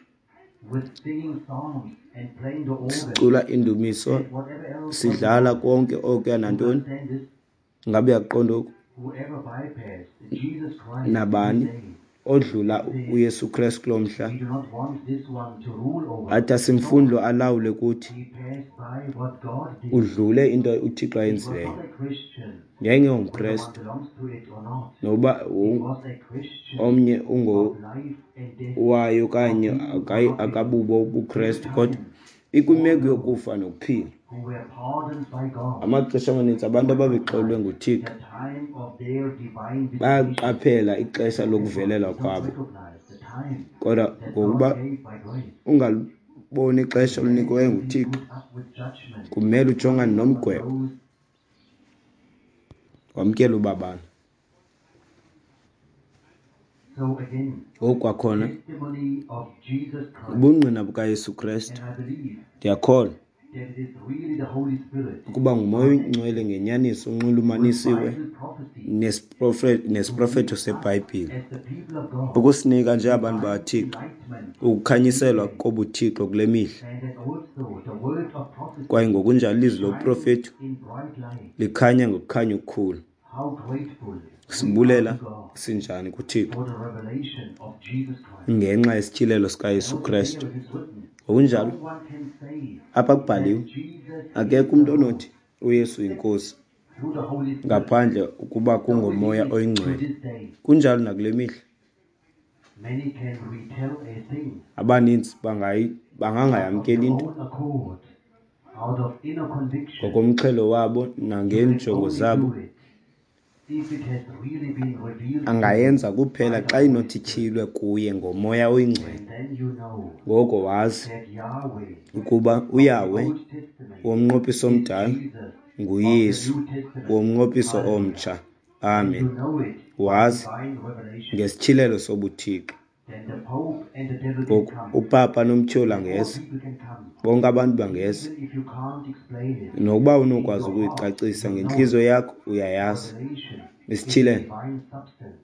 with singing psalms and playing the organ Sicula indumiso, and whatever else was sidlala involved. konke okuya You nantoni. understand this? Ngabe uyaqonda oku? Whoever bypassed Jesus Christ in his Nabani day odlula says, uYesu Krestu kuloo mhla, we do not want this one to rule over athi us. asimfuni No, lo alawule kuthi, he passed by what God did. udlule into uThixo It was ayenzileyo. not a Christian, Ngenge whether one ungumKrestu belongs to it or not. noba It was a Christian omnye of life and death, ungowayo of okanye being or not being. akabubo Two ubuKrestu, kodwa times, ikwimeko all those yokufa nokuphila. who were pardoned by God Amaxesha amaninzi abantu ababexolelwe recognized nguThixo the time of their divine visitation. bayaqaphela ixesha This one lokuvelelwa did not kwabo, recognize the time kodwa that God ngokuba gave by grace. ungaliboni ixesha He had olunikiweyo to be nguThixo, put up with judgment kumele ujongane coming upon nomgwebo, those wamkele ubabalo. So again, Ngoku kwakhona, testimony of Jesus Christ. ubungqina bukaYesu Krestu, And I believe ndiyakholwa that it is really the Holy Spirit ukuba nguMoya oyiNgcwele ngenyaniso with unxulumanisiwe Bible prophecy nesiprofeto to lead us seBhayibhile, as the people of God ukusinika njengabantu divine bakaThixo enlightenment in this ukukhanyiselwa day, kobuThixo kule mihla. and that also the word of prophecy Kwaye ngokunjalo ilizwi shines lobuprofeto in bright light. likhanya ngokukhanya okukhulu. How grateful we are Sibulela to God sinjani kuThixo for the revelation of Jesus Christ. ngenxa yesityhilelo And sikaYesu also Krestu. there it is written, Ngokunjalo no one can say apha that kubhaliwe, Jesus is akekho the umntu Lord onothi uYesu yinkosi through the Holy Spirit. ngaphandle ukuba So it kungoMoya is to oyiNgcwele. this day. Kunjalo nakule mihla. Many can retell a thing Abaninzi out of bangangayamkeli their into own accord, out of inner conviction. ngokomxhelo wabo You can nangeenjongo only zabo. do it if it has really been revealed to you Angayenza kuphela by the xa Holy inothi Spirit. ityhilwe kuye ngoMoya oyiNgcwele. And then you know Ngoko wazi that Yahweh ukuba of the uYahweh Old Testament womnqophiso is omdala Jesus of the nguYesu New Testament. womnqophiso Hallelujah. omtsha. And Amen. you know it by Wazi divine revelation. ngesityhilelo sobuThixo. Then the Pope and the devil can Ngoku come. upapa nomtyholi And all angeza, people can come. bonke abantu bangeza. Even if you can't explain it, Nokuba in unokwazi your heart ukuyicacisa you know ngentliziyo it. yakho, uyayazi. Revelation is Isityhilelo divine substance,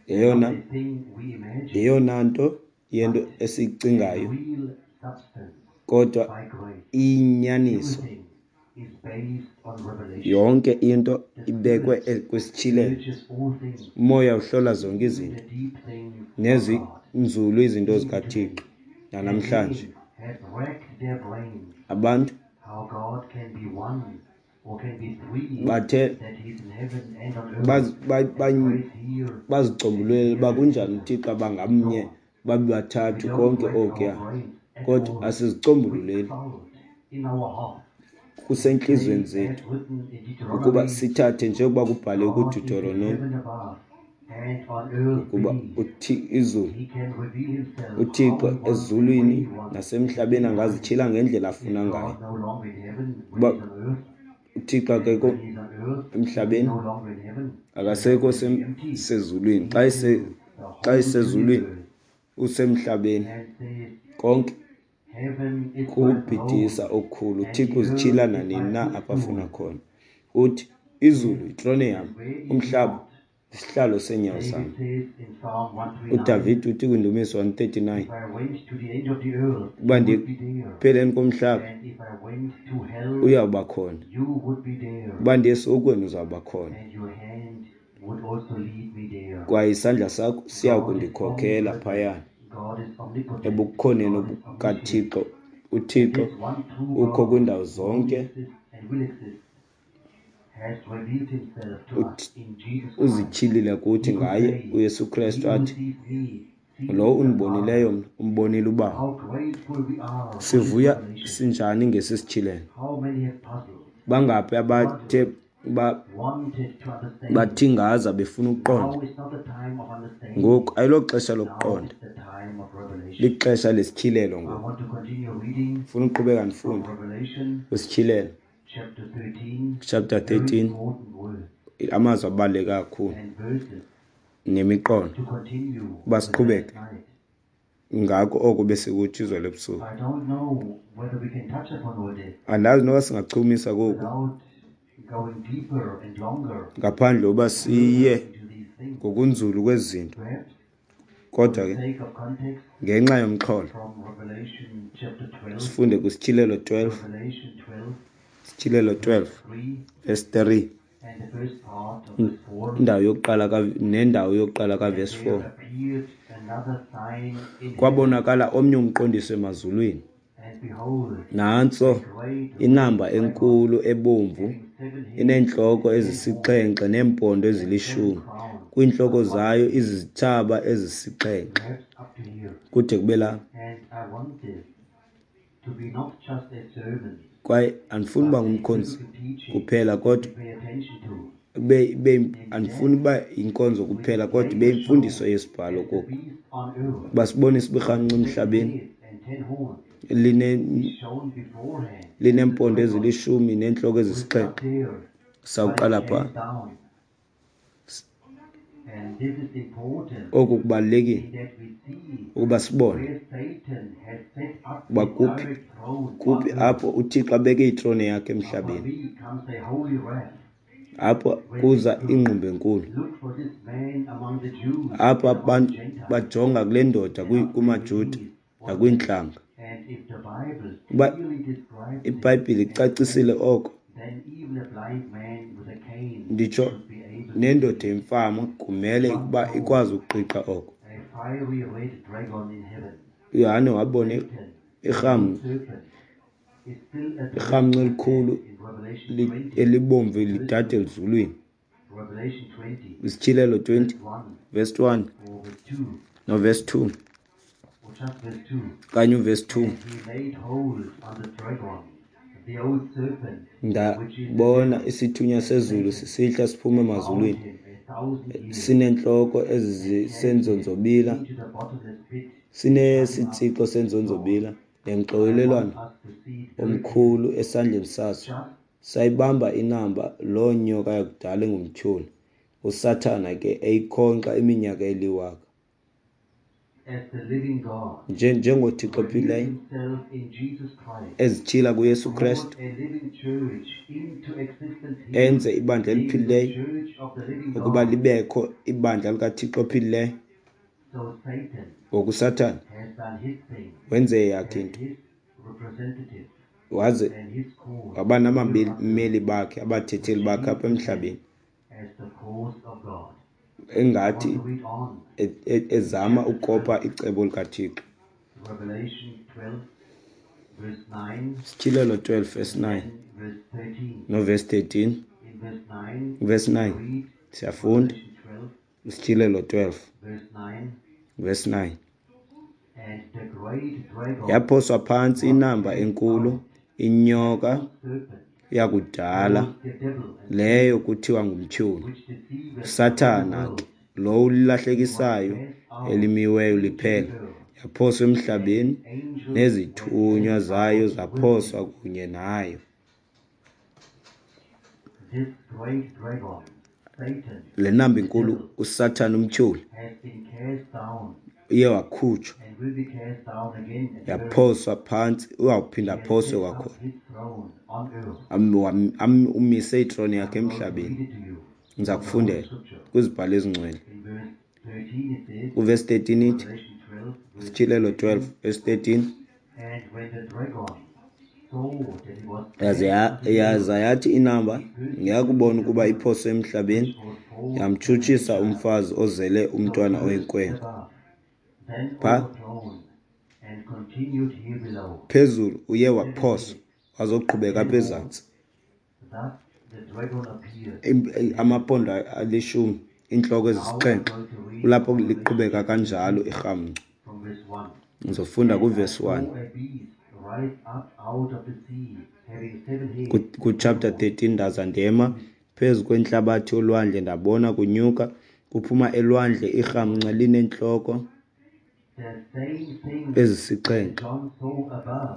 yeyona not a thing we imagine, yeyona nto yento but a esiyicingayo, real substance kodwa by grace. iyinyaniso. Everything is based on revelation. Yonke into The ibekwe Spirit kwisityhilelo. searches all things, Umoya uhlola zonke even izinto, the deep things of God. nezinzulu izinto Even zikaThixo. today, and Nanamhlanje many have racked their brains abantu how God can be one or can be three, bathe that He is in heaven and on earth, and prays here and bazicombululela uba here, kunjani etc. uThixo abangamnye No, babe we bathathu don't konke rack our okuya, brains at kodwa all. We asizicombululeli. exult in our hearts and Kusentliziyweni say, as zethu written in ukuba Deuteronomy, sithathe njengoba kubhaliwe God is in kuDuteronomi heaven above and on earth ukuba beneath. izulu He can reveal himself how uThixo he wants and when ezulwini he wants at nasemhlabeni any time. angazityhila ngendlela Is afuna ngayo. God no longer in heaven when Uba he's on earth? uThixo And akekho when he's on earth, is he emhlabeni, no longer in heaven? The heaven akasekho can be empty. sezulwini. He Xa fills the whole esezulwini universe usemhlabeni. and says, Konke Heaven is my kukubhidisa throne okukhulu. and uThixo the uzityhila earth is my nanini na apho afuna footstool. khona. Uthi izulu yitrone yam, And where is he umhlaba not? isihlalo seenyawo David zam. says in Psalm 139, UDavide uthi kwindumiso 139, If I went to the end of the earth, uba you ndiye would be there. ekupheleni komhlaba, And if I went to hell, uyawuba khona. you would be there. Uba ndiye esihogweni, uzawuba khona. And your hand would also lead me there. Kwaye isandla sakho siya God is kundikhokhela omnipresent. phayana. God is omnipotent. Ebukhoneni God is omniscient. bukaThixo, uThixo This one true ukho God kwindawo who zonke. exists and will exist has revealed himself to us in Jesus Christ. Uzityhilile kuthi He could ngaye say, uYesu Krestu He who athi, sees me sees lowo the undibonileyo Father. mna umbonile uBawo. How grateful we are for this Sivuya revelation. sinjani ngesi sityhilelo? How many have puzzled, Bangaphi abathe wanted to understand? bathingaza befuna ukuqonda? Now is not the time of understanding. Ngoku ayiloxesha Now lokuqonda, is the time of revelation. lixesha lesityhilelo I ngoku. want to continue Ndifuna uqhubeka ndifunde kwiSityhilelo chapter 13, amazwi abaluleke kakhulu nemiqolo uba siqhubeke ngako oko besikutsho izolo ebusuku. Andazi noba singachumisa koku ngaphandle uba siye ngokunzulu kwezi zinto, kodwa ke ngenxa yomxholo sifunde kwiSityhilelo 12, Sityhilelo 12 verse 3, indawo yokuqala nendawo yokuqala kaverse 4. Kwabonakala omnye umqondiso emazulwini, nantso inamba enkulu ebomvu ineentloko ezisixhenxe neempondo ezilishumi, kwiintloko zayo izizithsaba ezisixhenxe, kude kube lapha. Kwaye andifuni uba ngumkhonzi kuphela, kodwa ibe andifuni uba yinkonzo kuphela, kodwa ibe yimfundiso yesibhalo koku, uba sibonise uba irhamncwa emhlabeni lineempondo ezilishumi neentloko ezisixhenxe. Sawuqala phaa. Oku kubalulekile ukuba sibone uba kuphi apho uThixo abeke itrone yakhe emhlabeni, apho kuza ingqumbo enkulu, apho abantu bajonga kule ndoda kumaJuda nakwiintlanga. Uba iBhayibhile icacisile oko, nditsho nendoda emfama kumele ukuba ikwazi ukuqiqa oko. uYohane wabona irhamncwa elikhulu elibomvu lidada elizulwini. Isityhilelo 20 verse 1 noverse 2, okanye uverse 2. Ndabona isithunywa sezulu sisihla siphuma emazulwini, sineentloko ezisenzonzobila, sinesitsixo senzonzobila nemxokelelwano omkhulu esandleni saso. Sayibamba inamba loo nyoka yakudala engumtyholi, uSathana ke, eyikhonkxa iminyaka eliwaka. NjengoThixo ophileyo ezityhila kuYesu Kristu, enze ibandla eliphilileyo ukuba libekho, ibandla likaThixo ophilileyo. Ngoku uSathana wenze eyakhe into, waze waba nabameli bakhe, abathetheli bakhe apha emhlabeni, engathi ezama ukopa icebo likaThixo. Sityhilelo 12 verse 9 noverse 13. Verse 9 siyafunda, Sityhilelo 12 verse 9. Yaphoswa phantsi inamba enkulu, inyoka yakudala, leyo kuthiwa ngumtyholi, uSathana ke, lo ulahlekisayo elimiweyo liphela. Yaphoswa emhlabeni, nezithunywa zayo zaphoswa kunye nayo. Le namba inkulu, uSathana umtyholi, uye wakhutshwa, yaphoswa phantsi, uyawuphinda aphoswe kwakhona. Umise itrone yakhe emhlabeni. Ndiza kufundela kwizibhalo ezingcwele. Kuvesi 13 ithi, Sityhilelo 12 verse 13, yaza yathi inamba, yakubona ukuba iphoswe emhlabeni, yamtshutshisa umfazi ozele umntwana oyinkwenkwe. Pha phezulu uye waphoswa, wazoqhubeka apha ezantsi. Amaphondo alishumi, iintloko ezisixhenxe, kulapho liqhubeka kanjalo irhamncwa. Ngizofunda kuvesi 1 kuchapter 13. Ndaza ndema phezu kwentlabathi yolwandle, ndabona kunyuka kuphuma elwandle irhamncwa lineentloko Ezisixhenxe.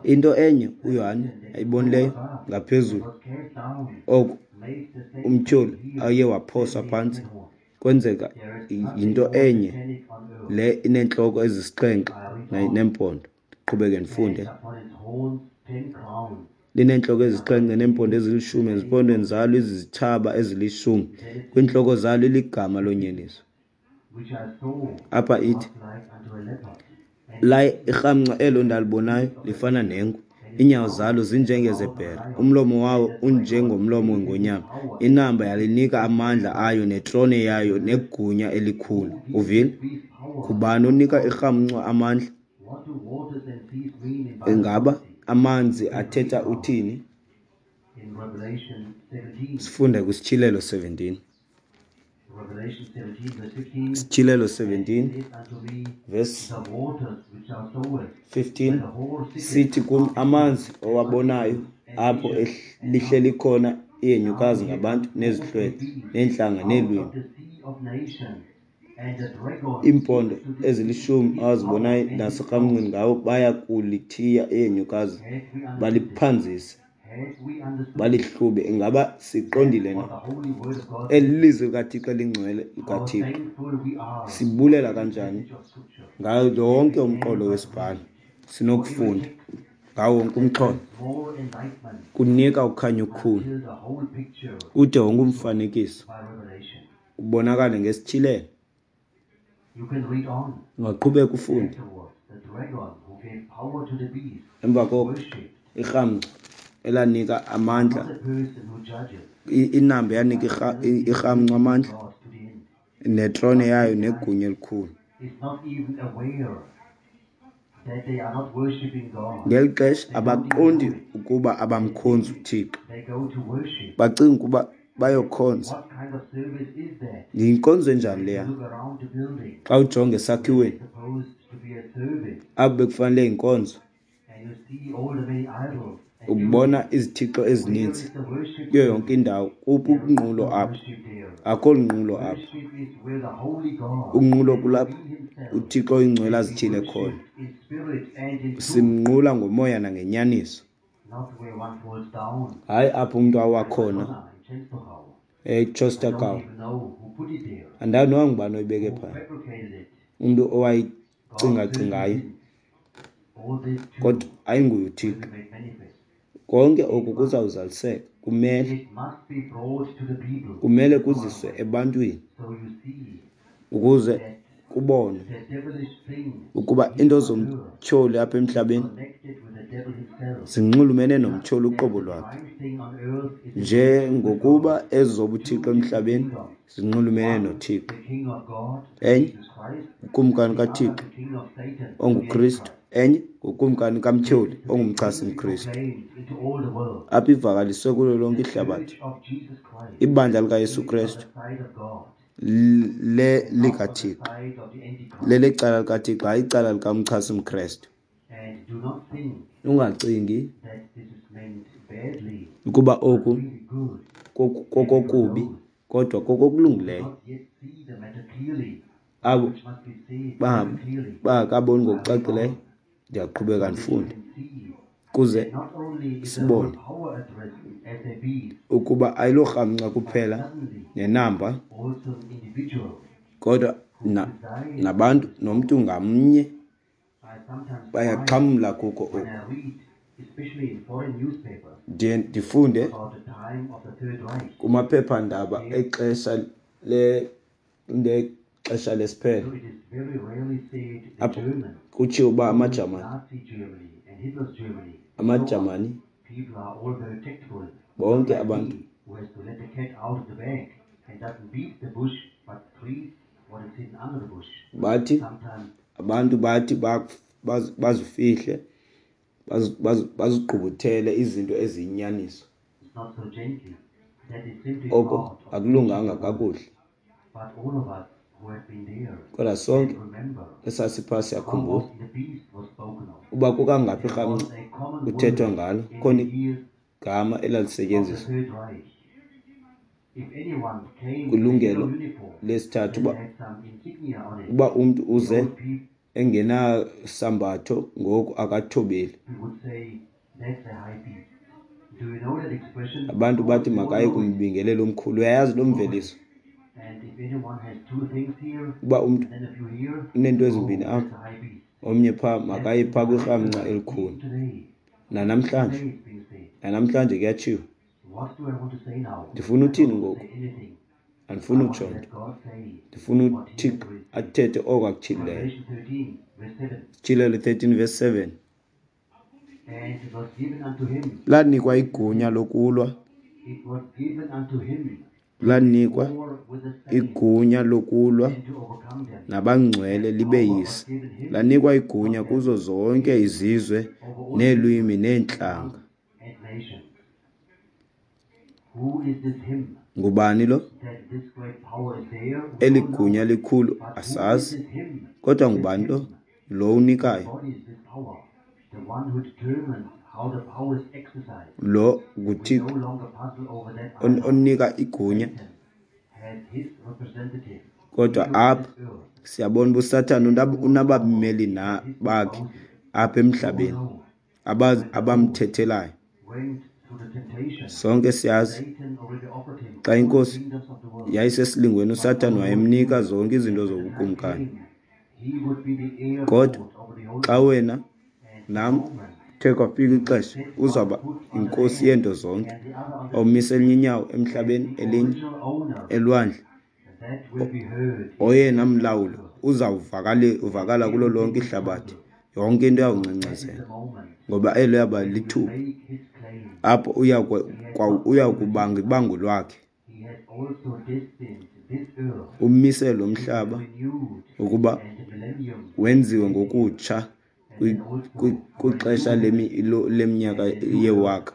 Into enye uYohane ayibonileyo ngaphezulu, oko umtyholi aye waphoswa phantsi, kwenzeka yinto enye le ineentloko ezisixhenxe neempondo. Ndiqhubeke ndifunde. Lineentloko ezisixhenxe neempondo ezilishumi, ezimpondweni zalo izithsaba ezilishumi, kwiintloko zalo iligama lonyeliso. Apha ithi, Laye irhamncwa elo ndalibonayo lifana nengwe, iinyawo zalo zinjengezebhere, umlomo wawo unjengomlomo wengonyama. Inamba yalinika amandla ayo netrone yayo negunya elikhulu. Uvile? Ngubani onika irhamncwa amandla? Ingaba amanzi athetha uthini? Sifunde kwiSityhilelo 17. Sityhilelo 17 verse 15 sithi kum amanzi owabonayo apho lihleli khona ihenyukazi ngabantu nezihlwele neentlanga neelwimi. Iimpondo ezilishumi owazibonayo naserhamncweni ngawo baya kulithiya ihenyukazi baliphanzise balihlube. Ingaba siqondile na? Eli lizwi likaThixo elingcwele likaThixo. Sibulela kanjani ngayo yonke umqolo wesibhalo sinokufunda ngawo wonke umxholo, kunika ukhanyo okukhulu ude wonke umfanekiso ubonakale ngesityhilelo. Ungaqhubeka ufunde. Emva koko irhamncwa elanika amandla, inamba eyanika irhamncwa amandla netrone yayo negunya elikhulu. Ngeli xesha abaqondi ukuba abamkhonzi uThixo, bacinga ukuba bayokhonza. Yinkonzo enjani leya? Xa ujonga esakhiweni apho bekufanele yinkonzo, ubona izithixo ezininzi kuyo yonke indawo. Kuphi unqulo apho? Akho lunqulo apho. Unqulo kulapho uThixo oyingcwele azityhile khona. Simnqula ngomoya nangenyaniso, hayi apho umntu awa khona eChostagal. Andazi noba ngubani oyibeke phaya, umntu owayicingacingayo, kodwa ayinguye uThixo. Konke oku kuzawuzaliseka, kumele kumele kuziswe ebantwini ukuze kubonwe ukuba into zomtyholi apha emhlabeni zinxulumene nomtyholi uqobo lwakhe, njengokuba ezobuthixo emhlabeni zinxulumene noThixo. Enye ngukumkani kaThixo onguKristu, enye ngukumkani kamtyholi ongumchasi-mKristu. Apha ivakaliswe kulo lonke ihlabathi. Ibandla likaYesu Kristu le likaThixo, lelecala likaThixo, hayi icala likamchasi-mKristu. Ungacingi ukuba oku kokokubi, kodwa kokokulungileyo. Abo bangakaboni ngokucacileyo, ndiyaqhubeka ndifunde kuze sibone ukuba ayilorhamncwa kuphela nenamba, kodwa nabantu nomntu ngamnye bayaxhamla kuko oku. Ndiye ndifunde kumaphephandaba exesha lexesha lesiphelo apho kutshiwo uba amaJamani, amaJamani bonke abantu bathi abantu bathi bazifihle bazigqubuthele izinto eziyinyaniso. Oko akulunganga kakuhle. Kodwa sonke esasipha siyakhumbula uba kukangaphi irhamncwa kuthethwa ngalo, khona igama elalisetyenziswa kwilungelo lesithathu uba umntu uze Engenasambatho ngoku akathobeli. Abantu bathi makaye kumbingeleli omkhulu. Uyayazi loo mveliso uba umntu uneento ezimbini apha, omnye phaa, makaye phaa kwirhamnca elikhulu. Nanamhlanje, nanamhlanje kuyatshiwo. Ndifuna uthini ngoku? Andifuni utsho nto. Ndifuna uThixo athethe oko akutyhilileyo. Sityhilelo 13 verse 7. Lanikwa igunya lokulwa, lanikwa igunya lokulwa nabangcwele libeyise. Lanikwa igunya kuzo zonke izizwe neelwimi neentlanga. Ngubani lo? Eli gunya likhulu asazi, kodwa ngubani lo? Lo unikayo. Lo nguThixo onika igunya. Kodwa apha siyabona uba uSathana unabameli na bakhe apha emhlabeni abamthethelayo. Sonke siyazi xa iNkosi yayisesilingweni uSathana wayemnika zonke izinto zobukumkani. Kodwa xa wena nam kuthe kwafika ixesha uzawuba yinkosi yeento zonke, awumise elinye inyawo emhlabeni elinye elwandle, oyena mlawuli uzawuvakala kulo lonke ihlabathi. Yonke into iyawungcengcezela ngoba elo yaba lithuba apho uya kubanga ibango lwakhe, umise lo mhlaba ukuba wenziwe ngokutsha kwixesha leminyaka yewaka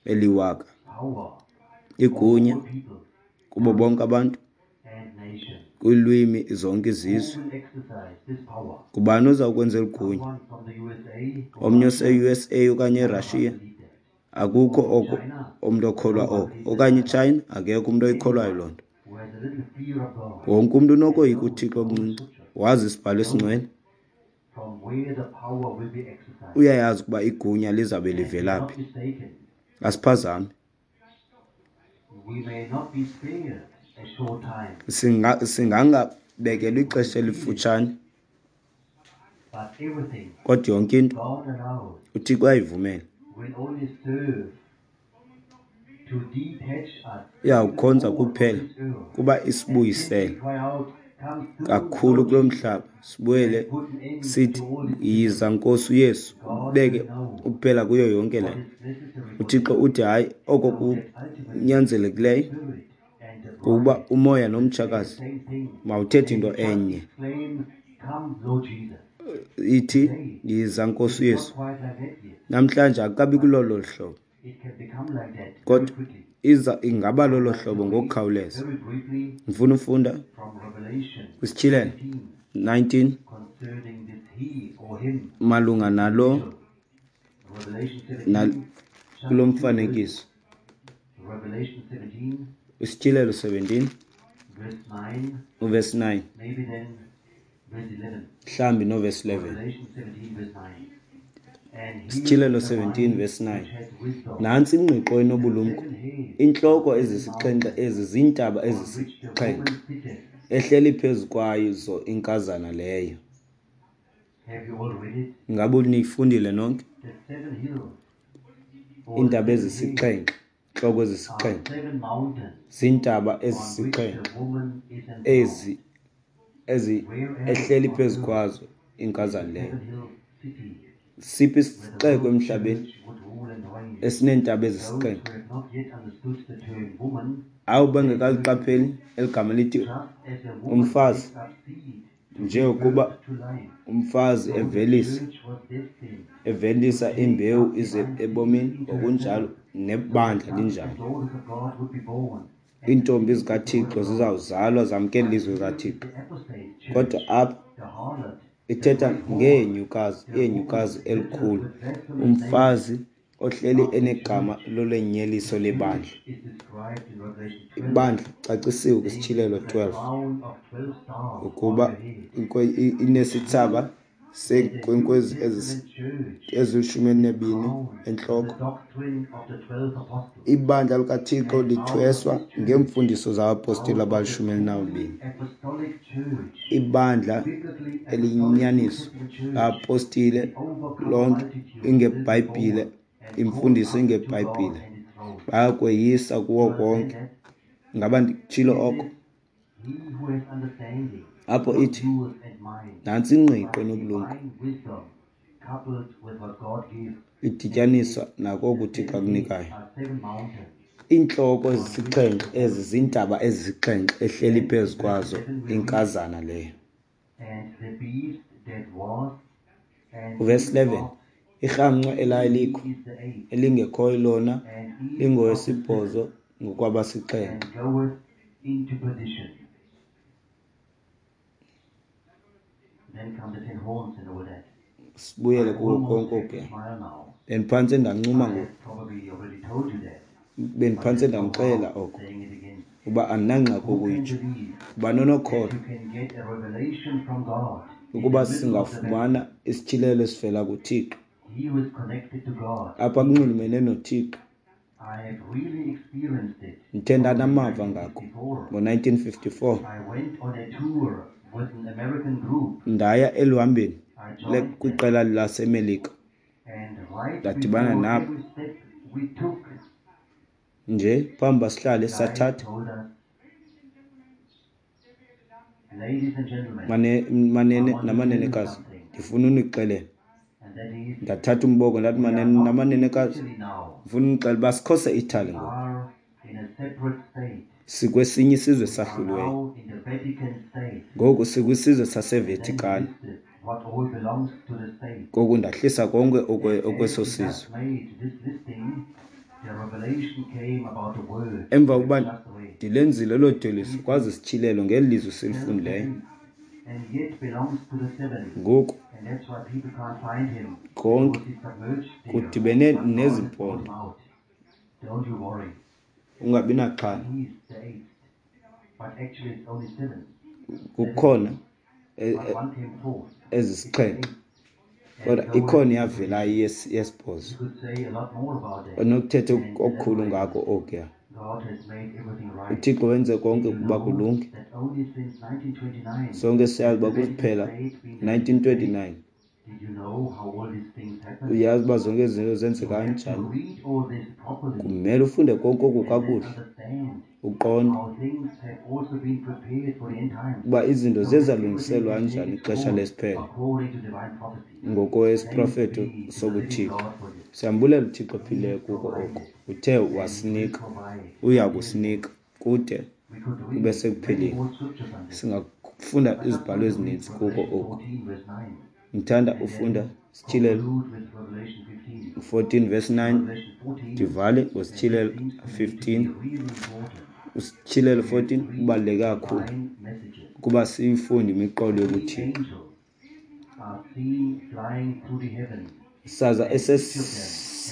eliwaka. Igunya kubo bonke abantu, kwiilwimi zonke izizwe. Ngubani oza kwenza eli gunya? Omnye ose-USA okanye eRussia? Akukho oko umntu okholwa oko. Okanye iChina? Akekho umntu oyikholwayo loo nto. Wonke umntu unokoyika uThixo okuncinci, wazi isibhalo esingcwele, uyayazi ukuba igunya lizawube livela phi. Asiphazami. Singangabekelwa ixesha elifutshane, kodwa yonke into uThixo uyayivumela. Iyawukhonza kuphela kuba isibuyisele kakhulu kulo mhlaba, sibuyele sithi yiza Nkosi uYesu, ubeke ukuphela kuyo yonke le nto. UThixo uthi hayi, oko kunyanzelekileyo kuba umoya nomtshakazi mawuthethe into enye. Ithi yiza Nkosi uYesu. Namhlanje akukabi kulolo hlobo, kodwa iza ingaba lolo hlobo ngokukhawuleza. Ndifuna ufunda kwisityhilelo 19 malunga nalo kulo mfanekiso. Isityhilelo 17 uverse 9 mhlawumbi noverse 11. Isityhilelo 17 verse 9. Nantsi ingqiqo enobulumko. Intloko ezisixhenxe ezi ziintaba ezisixhenxe ehleli phezu kwazo inkazana leyo. Ingaba niyifundile nonke? Iintaba ezisixhenxe, intloko ezisixhenxe ziintaba ezisixhenxe ezi ezi ehleli phezu kwazo inkazana leyo. Siphi isixeko emhlabeni esineentaba ezisixhenxe? Awu, bengekaliqapheli eli gama lithi umfazi, njengokuba umfazi evelisa imbewu ize ebomini, ngokunjalo nebandla linjalo. Iintombi zikaThixo zizawuzalwa zamkele ilizwi likaThixo. Kodwa apha ithetha ngeenyukazi, iinyukazi elikhulu, umfazi ohleli of the enegama church. lolenyeliso The lebandla. church is described in Revelation 12. Ibandla cacisiwe There kwiSityhilelo is a 12 crown of 12 stars on ukuba her head. inesithsaba That the New seenkwenkwezi Testament church ezilishumi is elinebini crowned with the entloko. doctrine of the 12 apostles. Ibandla likaThixo And out of lithweswa this church, ngeemfundiso zabapostile out of the abalishumi truly elinabini. apostolic church, Ibandla biblically apostolic New eliyinyaniso Testament church, labapostile the overcome lonke multitude will be ingebhayibhile, born and caught imfundiso up to God ingebhayibhile, and his throne. bayakweyisa Do kuwo you understand konke. that? Ngaba nditshilo It oko? says, he who has understanding, Apho not ithi, yours and mine, nantsi ingqiqo but nobulumko divine wisdom coupled with what God gives. And it idityaniswa says, nako the uThixo seven heads akunikayo. are seven mountains Iintloko on which ezisixhenxe the ezi woman ziintaba sits. ezisixhenxe ehleli Then phezu in verse kwazo 11 we read, inkazana leyo. and the beast that was and Uvesi is 11, not, irhamncwa he elayilikho is the eighth, elingekhoyo lona and is of the seven, lingowesibhozo ngokwabasixhenxe. and goeth into perdition. Then come the 10 horns and all that. Sibuyele I kuwo almost konke have to okuya. smile now. Bendiphantse ndancuma I ngoku, have probably already told you that, but bendiphantse there's no ndamxelela harm oko saying it again. uba andinangxaki Who can ukuyitsho. believe Uba that nonokholo you can get a revelation from God in the ukuba middle of the battle? singafumana isityhilelo esivela kuThixo He who is connected to God apha sees it. kunxulumene noThixo. I have really experienced it Ndithe from ndanamava ngako 1954. ngo-1954. I went on a tour with an American group. Ndaya eluhambeni I joined them, kwiqela laseMelika, and right ndadibana before nabo every step we took, nje phambi uba sihlale guide sathatha told us, ladies and gentlemen, manene I want to tell you namanenekazi, something, ndifuna unixelela. and that is, Ndathatha umboko ndathi, we are manene not in namanenekazi, Italy now. ndifuna unixelela uba sikho seItaly We ngoku, are in a separate state. sikwesinye isizwe We are esahluliweyo now in the Vatican state. ngoku, sikwisizwe And then he saseVatican. listed what all belongs to the state. Ngoku ndahlisa konke And as okweso he sizwe. thus made this listing, the revelation came about the word Emva we kokuba have just read. ndilenzile loo dweliso He is kwazi isityhilelo ngeli lizwi silifundileyo. self-same and yet belongs to the seven. Ngoku And that's why people can't find him konke because he's submerged there. kudibene But God has brought nezimpondo. him out. Don't you worry. Ungabi naxhala. He is the eighth. But actually it's only seven. Seven Kukhona heads. But one came forth. It's the ezisixhenxe eighth. And kodwa goeth ikhona into iyavelayo perdition. yesibhozo. You could say a lot more about that Onokuthetha and okukhulu elaborate ngako on it. okuya. God has made everything right. uThixo wenze Did konke you ukuba know kulunge. that only since 1929 Sonke has siyazi the uba Vatican kuphela State been the Vatican State? 1929. Did you know how all these things happened? Uyazi uba zonke ezi zinto You zenzeka have to kanjani. read all this properly Kumele ufunde konke oku and then kakuhle, understand uqonde how things have also been prepared for the end times, uba izinto so ziye that everything zalungiselwa can take kanjani its ixesha course lesiphelo according to divine prophecy. ngokwesiprofeto Thanks be to the living sobuThixo. God for this. Siyambulela uThixo He ophileyo kuko oku provided uthe and He will wasinika, provide uya until the end. kusinika kude We could kube read many sekupheleni. more scriptures on this. Singafunda I just izibhalo want to read ezininzi kuko Revelation oku. 14, verse 9, Ndithanda and ufunda then Sityhilelo conclude with Revelation 15. 14 verse 9, Revelation 14, ndivale and this ngoSityhilelo seems to me to be 15. really important. USityhilelo We have 14 three kubaluleke kakhulu divine messages. ukuba siyifunde imiqolo Three yobuThixo. angels are seen flying through the heavens, Saza and each of them has a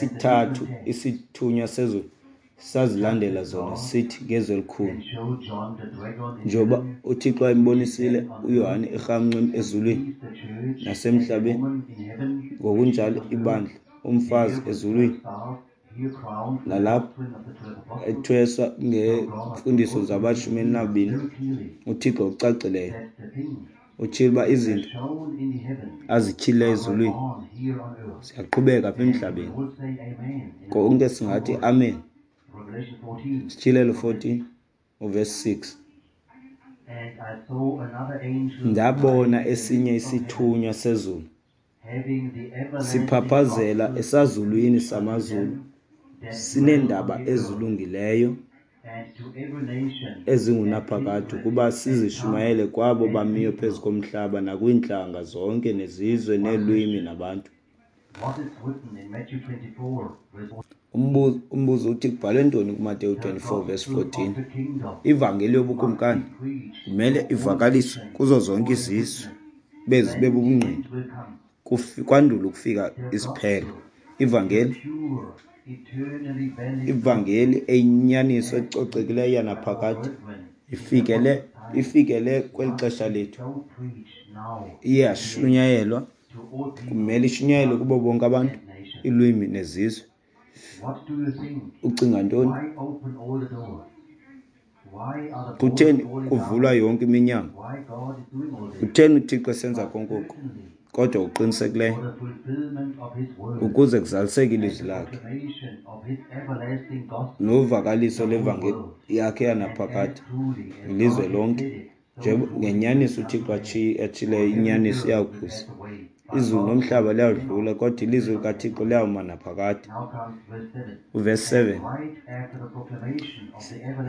esesithathu different text. isithunywa sezulu Just sazilandela as zona God sithi ngezwi elikhulu. can show John the dragon in Njengoba heaven, uThixo which is wayembonisile then on uYohane earth, irhamncwa and ezulwini sees the church and the nasemhlabeni, woman in heaven, which is ngokunjalo on earth, ibandla, umfazi there with ezulwini, 12 stars, here crowned with the nalapho doctrine of the 12 apostles. ethweswa So God ngeemfundiso also zabashumi reveals elinabini, very clearly uThixo ngokucacileyo that the things utshilo uba which are izinto shown in the heavens azityhilileyo are going ezulwini on here on earth. ziyaqhubeka apha And we emhlabeni. will say amen in a Konke moment. Don't singathi worry. amen. Revelation 14 Sityhilelo from verse 14 6. uvesi 6. And I saw another angel Ndabona flying in the esinye midst of heaven, isithunywa sezulu having the everlasting siphaphazela gospel to esazulwini preach unto samazulu, them that dwell on sineendaba the earth, ezilungileyo and to every nation and ezingunaphakade kindred ukuba and tongue sizishumayele kwabo and bamiyo phezu people. komhlaba nakwiintlanga zonke nezizwe One neelwimi question. nabantu. What is written in Matthew 24, verse 14? Umbuzo uthi kubhalwe ntoni kuMateyu The 24 verse gospel of 14? the kingdom Ivangeli must yobukumkani be preached kumele to all ivakaliswe nations kuzo zonke for a izizwe, witness. bezi Then the bubungqina, end will come. kwandule ukufika The isiphelo. gospel Ivangeli, ivangeli eyinyaniso ecocekileyo yanaphakade ifikele kweli xesha lethu. Iyashunyayelwa, kumele ishunyayelwe kubo bonke abantu, iilwimi nezizwe. Ucinga ntoni? Kutheni kuvulwa yonke iminyango? Kutheni uThixo esenza konke oku? Kodwa uqinisekileyo ukuze kuzaliseke ilizwi lakhe novakaliso levangeli yakhe yanaphakade ilizwe lonke. Ngenyaniso uThixo atshileyo, inyaniso iyakuza. Izulu nomhlaba liyawudlula, kodwa ilizwi likaThixo liyawuma naphakade. Uvesi 7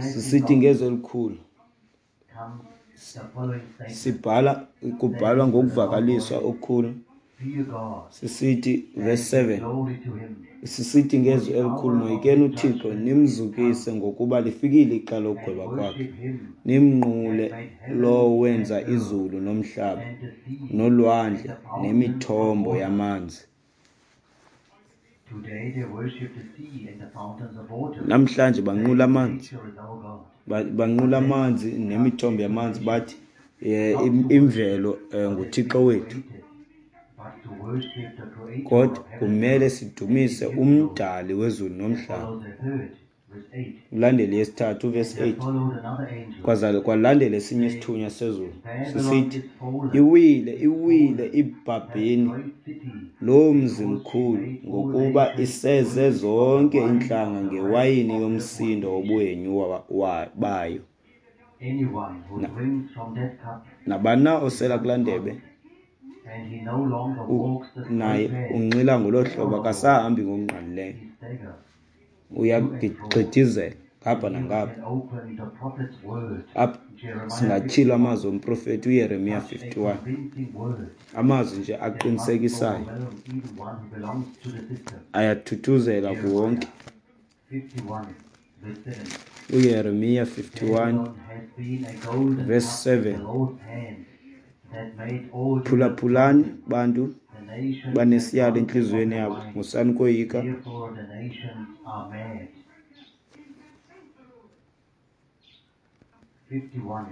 sisithi ngezwi elikhulu sibhala, kubhalwa ngokuvakaliswa okukhulu, sisithi verse 7 sisithi ngezwi elikhulu, moyikeni uThixo nimzukise, ngokuba lifikile ixa lokugweba kwakhe. Nimnqule lowo wenza izulu nomhlaba nolwandle nemithombo yamanzi. Namhlanje banqula amanzi, banqula amanzi nemithombo yamanzi, bathi imvelo nguThixo wethu. Kodwa kumele sidumise umdali wezulu nomhlaba. Ulandele yesithathu uvesi 8, kwalandela esinye isithunywa sezulu sisithi, iwile, iwile iBhabheli, lo mzi mkhulu, ngokuba iseze zonke iintlanga ngewayini yomsindo wobuhenyu bayo. Nabani na osela kulaa ndebe naye unxila ngolo hlobo, akasahambi ngokungqalileyo, uyagxidizela ngapha nangapha. Apha singatyhila amazwi omprofeti uYeremiya 51, amazwi nje aqinisekisayo, ayathuthuzela kuwonke. uYeremiya 51 verse 7, phulaphulani bantu banesiyalo entliziyweni yabo, musani ukoyika.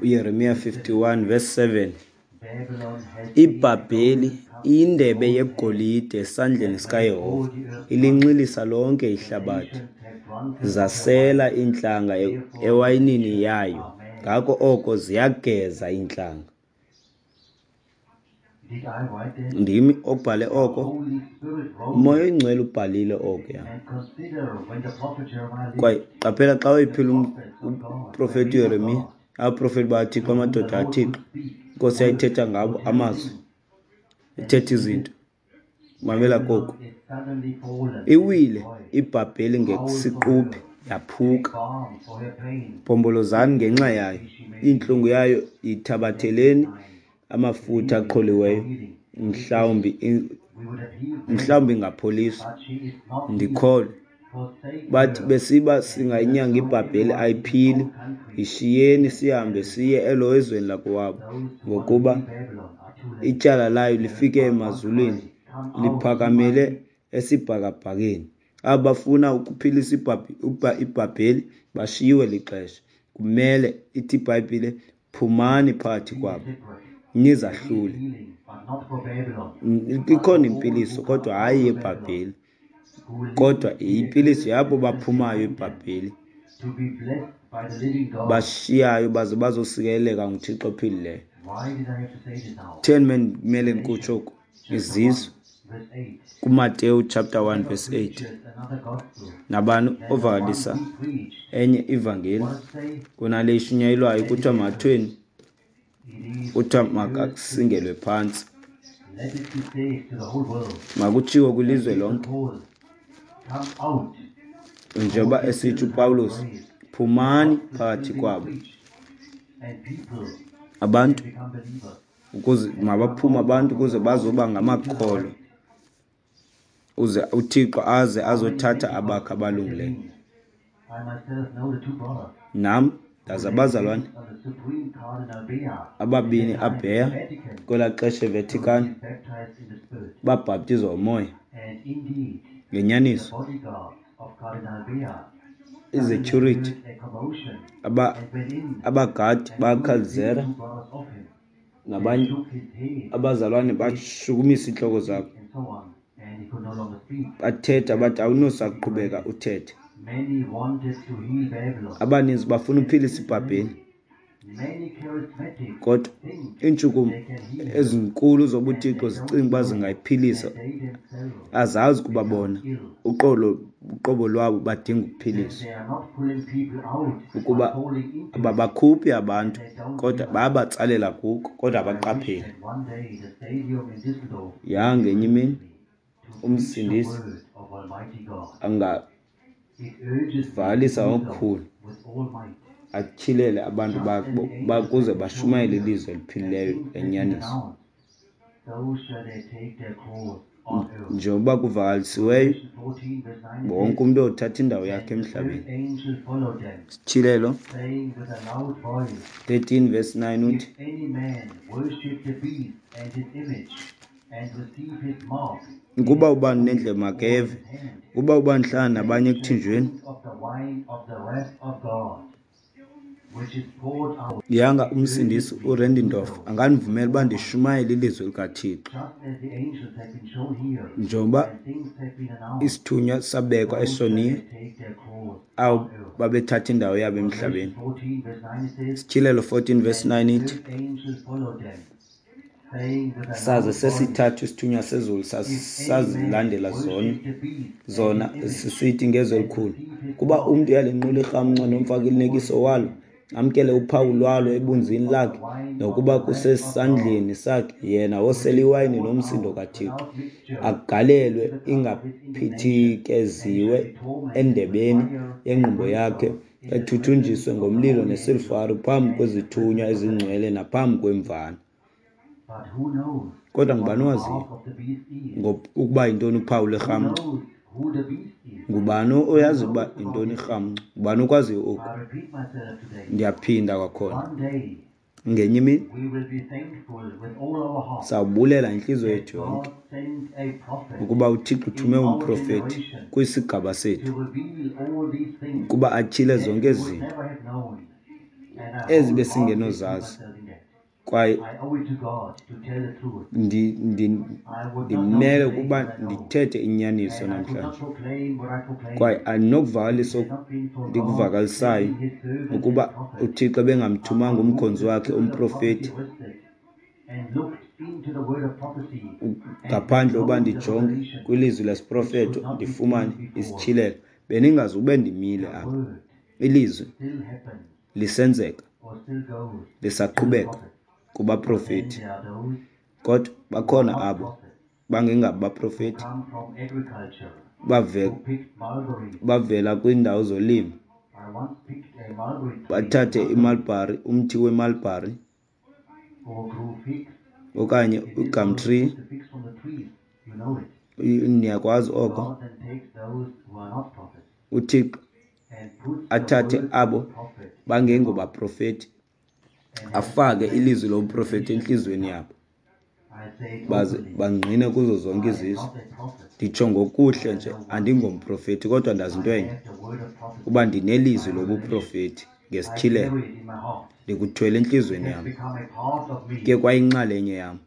uYeremiya 51 verse 7, iBhabheli iyindebe yegolide esandleni sikaYehova, ilinxilisa lonke ihlabathi. Zasela iintlanga ewayinini yayo, ngako oko ziyageza iintlanga. Ndimi obhale oko, uMoya oyiNgcwele ubhalile oko. Kwaye qaphela xa wayephila umprofeti uYeremiya, abaprofeti bakaThixo, amadoda kaThixo, iNkosi yayithetha ngabo amazwi, ithetha izinto. Mamela koku, iwile iBhabheli ngesiquphe, yaphuka. Bhombolozani ngenxa yayo, intlungu yayo yithabatheleni amafutha aqholiweyo, mhlawumbi ingapholiswa. Ndikholwe bathi besiba singayinyanga iBhabheli, ayiphili. Yishiyeni sihambe siye elo ezweni lakowabo, ngokuba ityala layo lifike emazulwini, liphakamele esibhakabhakeni. Abo bafuna ukuphilisa iBhabheli bashiyiwe lixesha. Kumele ithi iBhayibhile, phumani phakathi kwabo, nizahlule. Ikhona impiliso, kodwa hayi yeBhabheli, kodwa impiliso yabo baphumayo eBhabheli, bashiyayo baze bazosikeleleka nguThixo ophilileyo. 10 kumele ndikutsho oku, izizwe kuMateyu chapter 1 verse 8, nabani ovakalisa enye ivangeli kunale ishunyayelwayo, kuthiwa mathweni, kuthiwa makasingelwe phantsi, makutshiwo kwilizwe lonke. Njengoba esithi uPawulos, phumani phakathi kwabo abantu, ukuze mabaphume abantu ukuze bazoba ngamakholwa, uze uThixo aze azothatha abakhe abalungileyo. Nam ndazi abazalwane ababini abheya kwelaa xesha eVatican, babhaptizwa umoya. Ngenyaniso, izecurity, abagadi bakaCalzera nabanye abazalwane bashukumisa iintloko zabo, bathetha bathi awunosaqhubeka uthethe. Abaninzi bafuna uphilisa iBhabheli, kodwa iintshukumo ezinkulu zobuthixo zicinga uba zingayiphilisa, azazi ukuba bona uqolo uqobo lwabo badinga ukuphiliswa. Ukuba ababakhuphi abantu kodwa bayabatsalela kuko, kodwa abaqapheli. Yangenye imini uMsindisi angavalisa okukhulu atyhilele abantu bakhe bakuze bashumayele ilizwi eliphilileyo lenyaniso. Njengoba kuvakalisiweyo, wonke umntu othatha indawo yakhe emhlabeni. Sityhilelo 13 verse 9 uthi, Ukuba ubani unendlebe makeve, ukuba ubani uhlala nabanye ekuthinjweni, yanga uMsindisi uRendindorf angandivumela uba ndishumayele ilizwi likaThixo. Njengoba isithunywa sabekwa eShoniya, abo babethatha indawo yabo emhlabeni. Sityhilelo 14 verse 9 ithi, Saze sesithathu isithunywa sezulu sazilandela zona sisithi ngezwi elikhulu, Kuba umntu uyalinqula irhamncwa nomfanekiso walo, amkele uphawu lwalo ebunzini lakhe, nokuba kusesandleni sakhe, yena wosela iwayini nomsindo kaThixo, agalelwe ingaphithikeziwe endebeni yengqumbo yakhe, ethuthunjiswe ngomlilo nesilfari phambi kwezithunywa ezingcwele naphambi kweMvana. Kodwa ngubani owaziyo ukuba yintoni uphawu lwerhamncwa? Ngubani oyazi ukuba yintoni irhamncwa? Ngubani okwaziyo oku? Ndiyaphinda kwakhona. Ngenye imini sawubulela ngentliziyo yethu yonke ukuba uThixo uthume umprofeti kwisigaba sethu ukuba atyhile zonke ezi zinto ezi besingenozazi. Kwaye ndimele ukuba ndithethe inyaniso namhlanje, kwaye andinokuvakalisa ndikuvakalisayo ukuba uThixo ebengamthumanga umkhonzi wakhe umprofeti, ngaphandle uba ndijonge kwilizwi lesiprofeto ndifumane isityhilelo, bendingazube ndimile apha. Ilizwi lisenzeka, lisaqhubeka kubaprofeti, kodwa bakhona abo bangengabo baprofeti bavela kwiindawo zolimo, bathathe imalbhari, umthi wemalbhari okanye igum tree, niyakwazi oko. UThixo athathe abo bangengobaprofeti afake ilizwi lobuprofeti entliziyweni yabo, baze bangqine kuzo zonke izizwe. Nditsho ngokuhle nje, andingomprofeti, kodwa ndazi into enye, uba ndinelizwi lobuprofeti ngesityhilelo, ndikuthwele entliziyweni yam, kuye kwayinxalenye yam.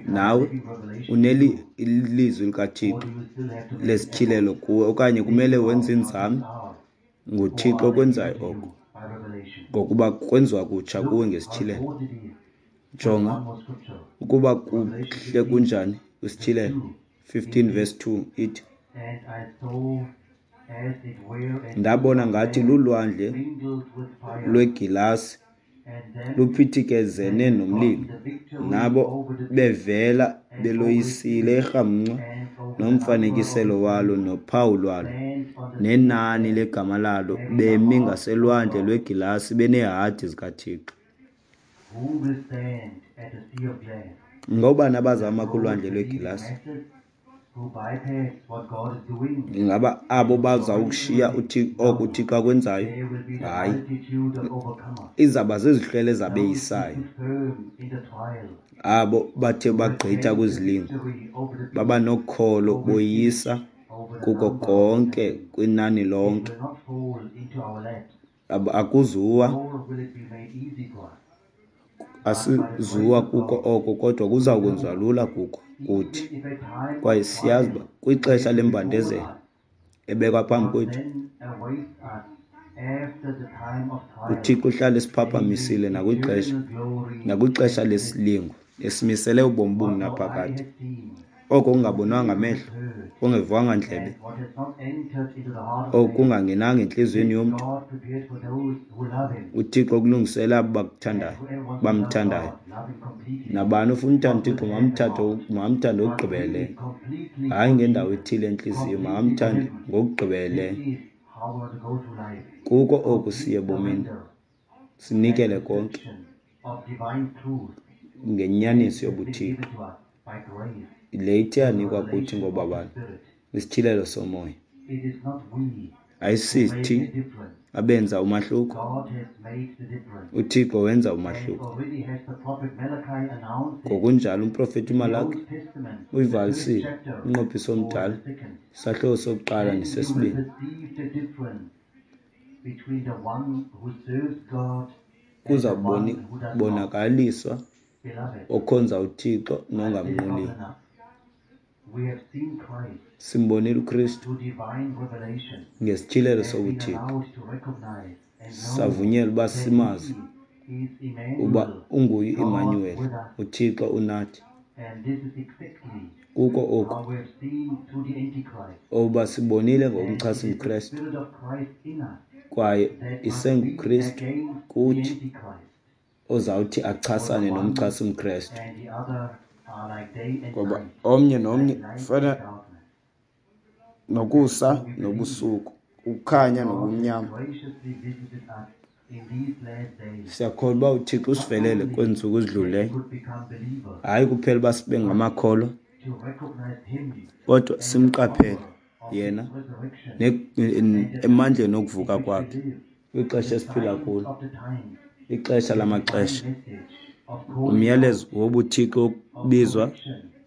Nawe uneli ilizwi likaThixo lesityhilelo kuwe, okanye kumele wenze inzame. NguThixo okwenzayo oko, ngokuba kwenziwa kutsha kuwe ngesityhilelo. Jonga ukuba kuhle kunjani kwisityhilelo 15 verse 2 ithi, Ndabona ngathi lulwandle lwegilasi luphithikezene nomlilo, nabo bevela beloyisile irhamncwa nomfanekiselo walo nophawu lwalo nenani legama lalo, bemi ngaselwandle lwegilasi beneehadi zikaThixo. Ngoobani abazama kulwandle lwegilasi? Ingaba abo bazawukushiya oko uThixo akwenzayo? Hayi, izawuba zizihlwele ezabeyisayo. Abo bathe bagqitha kwizilingo baba nokholo, boyisa kuko konke kwinani lonke. Akuzuwa, asizuwa kuko oko, kodwa kuza kwenziwa lula kuko kuthi. Kwaye siyazi uba kwixesha lembandezelo ebekwa phambi kwethu, uThixo uhlala esiphaphamissile nakwixesha lesilingo, esimisele ubomi obungunaphakade. Oko kungabonwanga ngamehlo, kungevwanga ndlebe, okungangenanga entliziyweni yomntu, uThixo ukulungisele abo bakuthandayo, bamthandayo. Nabani ofuna uthanda uThixo makamthande ngokugqibeleleyo, hayi ngendawo ethile entliziyo, makamthande ngokugqibeleleyo. Kuko oku siye ebomini, sinikele konke ngenyaniso yobuThixo le ithe yanikwa kuthi ngobabalo, isityhilelo somoya. Ayisithi abenza umahluko, uThixo wenza umahluko. Ngokunjalo umprofeti uMalaki uyivalisile umnqophiso omdala, isahluko sokuqala nesesibini. Kuza kubonakaliswa okhonza uThixo nongamnquliyo. Simbonile uKristu ngesityhilelo sobuThixo, savunyelwa uba simazi uba unguye uImmanuel, uThixo unathi. Kuko oku oba sibonile ngokumchasa umKristu, kwaye isenguKristu kuthi ozawuthi achasane nomchasi umKristu, ngoba omnye nomnye ufana nokusa nobusuku, ukukhanya nobumnyama. Siyakholwa uba uThixo usivelele kwezi ntsuku zidlulileyo, hayi kuphela uba sibe ngamakholwa, kodwa simqaphele yena emandleni okuvuka kwakhe kwixesha esiphila kulo, ixesha lamaxesha. Umyalezo wobuThixo wokubizwa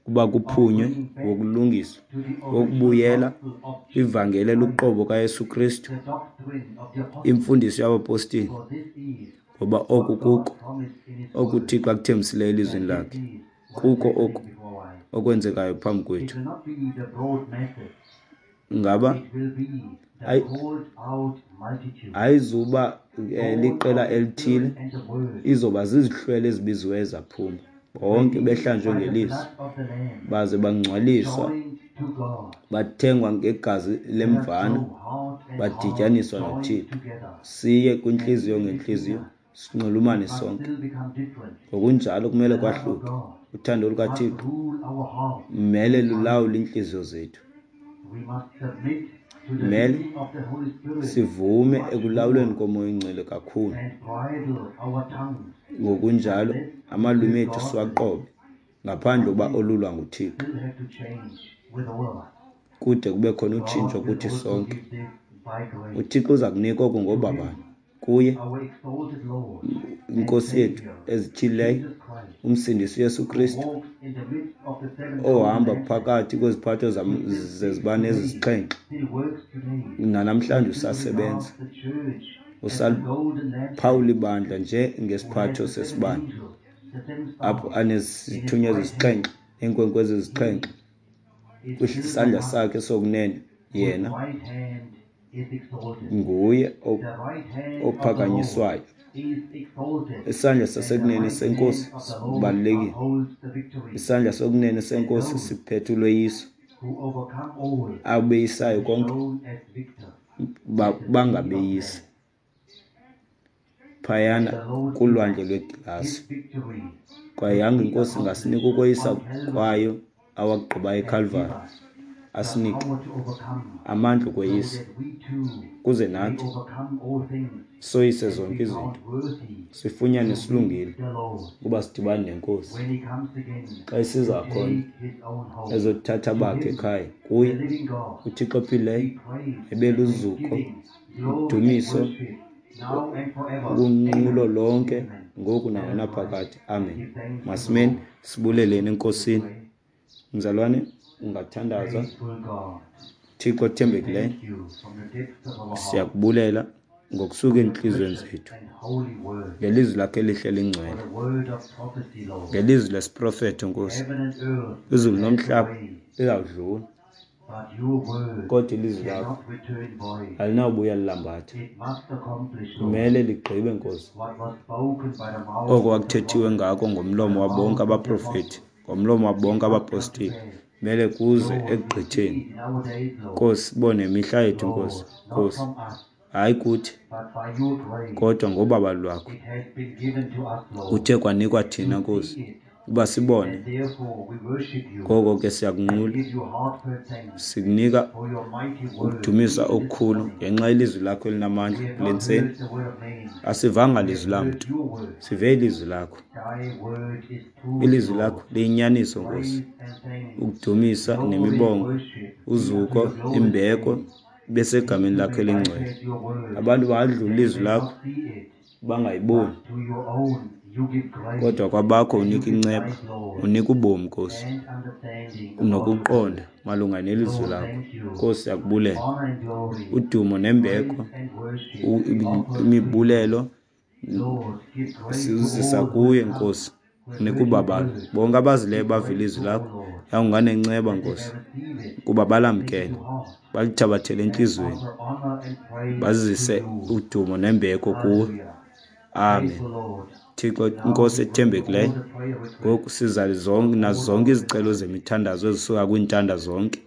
kuba kuphunywe, wokulungiswa, wokubuyela kwivangeli eluqobo kaYesu Kristu, imfundiso yabapostile, ngoba oku kuko oku uThixo akuthembisileyo elizwini lakhe. Kuko oku okwenzekayo phambi kwethu. Ngaba ayizuba liqela elithile, izoba zizihlwele ezibiziweyo zaphuma, bonke behlanjwe ngelizwi, baze bangcwaliswa, bathengwa ngegazi lemvana, badityaniswa noThixo. Siye kwintliziyo ngentliziyo, sinxulumane sonke. Ngokunjalo kumele kwahluke. Uthando lukaThixo mele lulawule iintliziyo zethu. Mele sivume ekulawulweni koMoya oNgcwele kakhulu. Ngokunjalo amalwimi ethu siwaqobe ngaphandle uba olulwa nguThixo, kude kube khona utshintsho kuthi sonke. UThixo uza kunika oku ngobabalo kuye, iNkosi yethu ezityhilileyo, uMsindisi uYesu Kristu, ohamba phakathi kweziphatho zezibane ezisixhenxe, nanamhlanje usasebenza, usaliphawula ibandla njengesiphatho sesibane, apho anezithunywa ezisixhenxe neenkwenkwezi ezisixhenxe kwisandla sakhe sokunene. Yena nguye ophakanyiswayo. Isandla sasekunene senkosi sibalulekile. Isandla sokunene senkosi siphethe ulweyiso. Abeyisayo konke bangabeyisi phayana kulwandle lwegilasi. Kwaye yanga inkosi ingasinika ukoyisa kwayo awakugqibayo eKhalvari, the Asinike power to overcome, amandla so okweyisa that we too kuze may nathi overcome all things soyise and zonke be izinto, found worthy sifunyane to silungile meet the Lord ukuba sidibane nenkosi when he comes again xa isiza to khona take his own home. ezothatha To bakhe him, ekhaya. the Kuye living God, uThixo ophilileyo be praise ebe and luzuko, thanksgiving, glory and udumiso, worship, now and forever. unqulo Amen. lonke Amen. ngoku Let us rise nangonaphakade. and Amen. give thanks to the Masimeni Lord. sibuleleni enkosini. Pray. Mzalwane, ungathandaza. Faithful God, Thixo we othembekileyo, thank you from the depths of our heart siyakubulela ngokusuka for the entliziyweni precious zethu and holy word, ngelizwi lakho elihle for lingcwele, the word of prophecy, Lord. ngelizwi lesiprofeto Nkosi. Heaven and earth will Izulu pass nomhlaba away, lizawudlula, but your word kodwa ilizwi lakho cannot return void. alinawubuya lilambatha. It must accomplish, Lord, Kumele ligqibe Nkosi what was spoken by the mouth oko of the kwakuthethiwe prophets, ngako by ngomlomo the wabonke mouth of the abaprofethi, apostles. ngomlomo It wabonke must come to abapostile, pass. kumele kuze Lord, we see ekugqitheni. it in our days, Lord. Nkosi, bone imihla yethu Nkosi. Lord, not Nkosi, from us, hayi kuthi, but by your grace, kodwa ngobabalo lwakho it has been given to us, Lord, kuthe kwanikwa thina to Nkosi see it. uba sibone. And therefore we worship you Ngoko ke and siyakunqula, give you heartfelt thanks sikunika for your mighty word ukudumisa even this okukhulu morning. ngenxa yelizwi lakho elinamandla We have kule not ntseni. heard the word of man, Asivanga we have lizwi heard lamntu, your word. sive ilizwi lakho. Thy word is truth, Ilizwi Lord. lakho liyinyaniso Nkosi. Praise and thanks, Ukudumisa glory and nemibongo, worship be unto uzuko, your glorious imbeko name. besegameni People lakho may elingcwele. bypass your word, Abantu bangadlula they ilizwi may lakho not see it, bangayiboni, but to your own you give grace kodwa kwabakho and you unika give inceba, life, Lord, unika ubomi Nkosi, and understanding about your word. nokuqonda malunga nelizwi Lord, lakho. thank you. Nkosi, siyakubulela. Honor and glory, Udumo praise nembeko, and worship we offer to you. imibulelo Lord, give grace to sizisa all who kuye have come, Nkosi, who have unika heard your ubabalo. word. Bonke abazileyo Give bava grace ilizwi to all, lakho, Lord, yawunganenceba that they Nkosi, may receive it, kuba take it balamkele, to heart, balithabathele and entliziyweni, offer honor and praise to bazise you. udumo nembeko kuwe. Hallelujah. Amen. Faithful Lord, Thixo now Nkosi we bring all ethembekileyo, the prayer requests ngoku siza zonke from nazo all zonke our izicelo listeners. zemithandazo ezisuka kwiintanda zonke.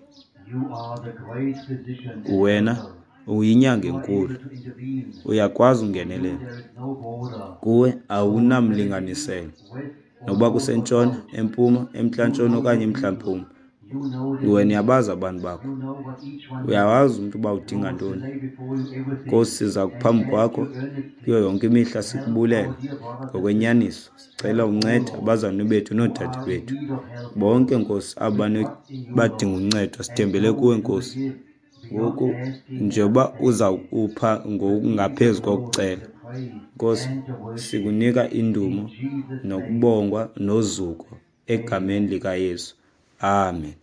You are the great physician and Wena helper. uyinyanga You are enkulu, able to intervene. uyakwazi For you ungenelela. there is no border. Kuwe Lord, whether it is awunamlinganiselo, east, west, or noba north or kusentshona, south. empuma, You emntla-ntshona know okanye your people. emntla-mpuma. You know their Wena needs. uyabazi abantu bakho, You know what each one needs. uyawazi umntu uba udinga Lord, we ntoni. lay before you everything Nkosi, siza and phambi ask kwakho you earnestly kuyo yonke imihla to help sikubulela our dear brothers and sisters. ngokwenyaniso. Sicela Help all, uncede Lord, abazalwane bethu who noodade are in bethu need of help, bonke Lord. Nkosi, abo We trust in you, badinga Lord, uncedo, and sithembele know kuwe you will Nkosi. give beyond Ngoku asking and njengoba understanding. uzawupha Receive the ngokungaphezu glory, kokucela, the praise, Nkosi, and the worship. sikunika In indumo Jesus' name, nokubongwa nozuko egameni amen. likaYesu. Amen.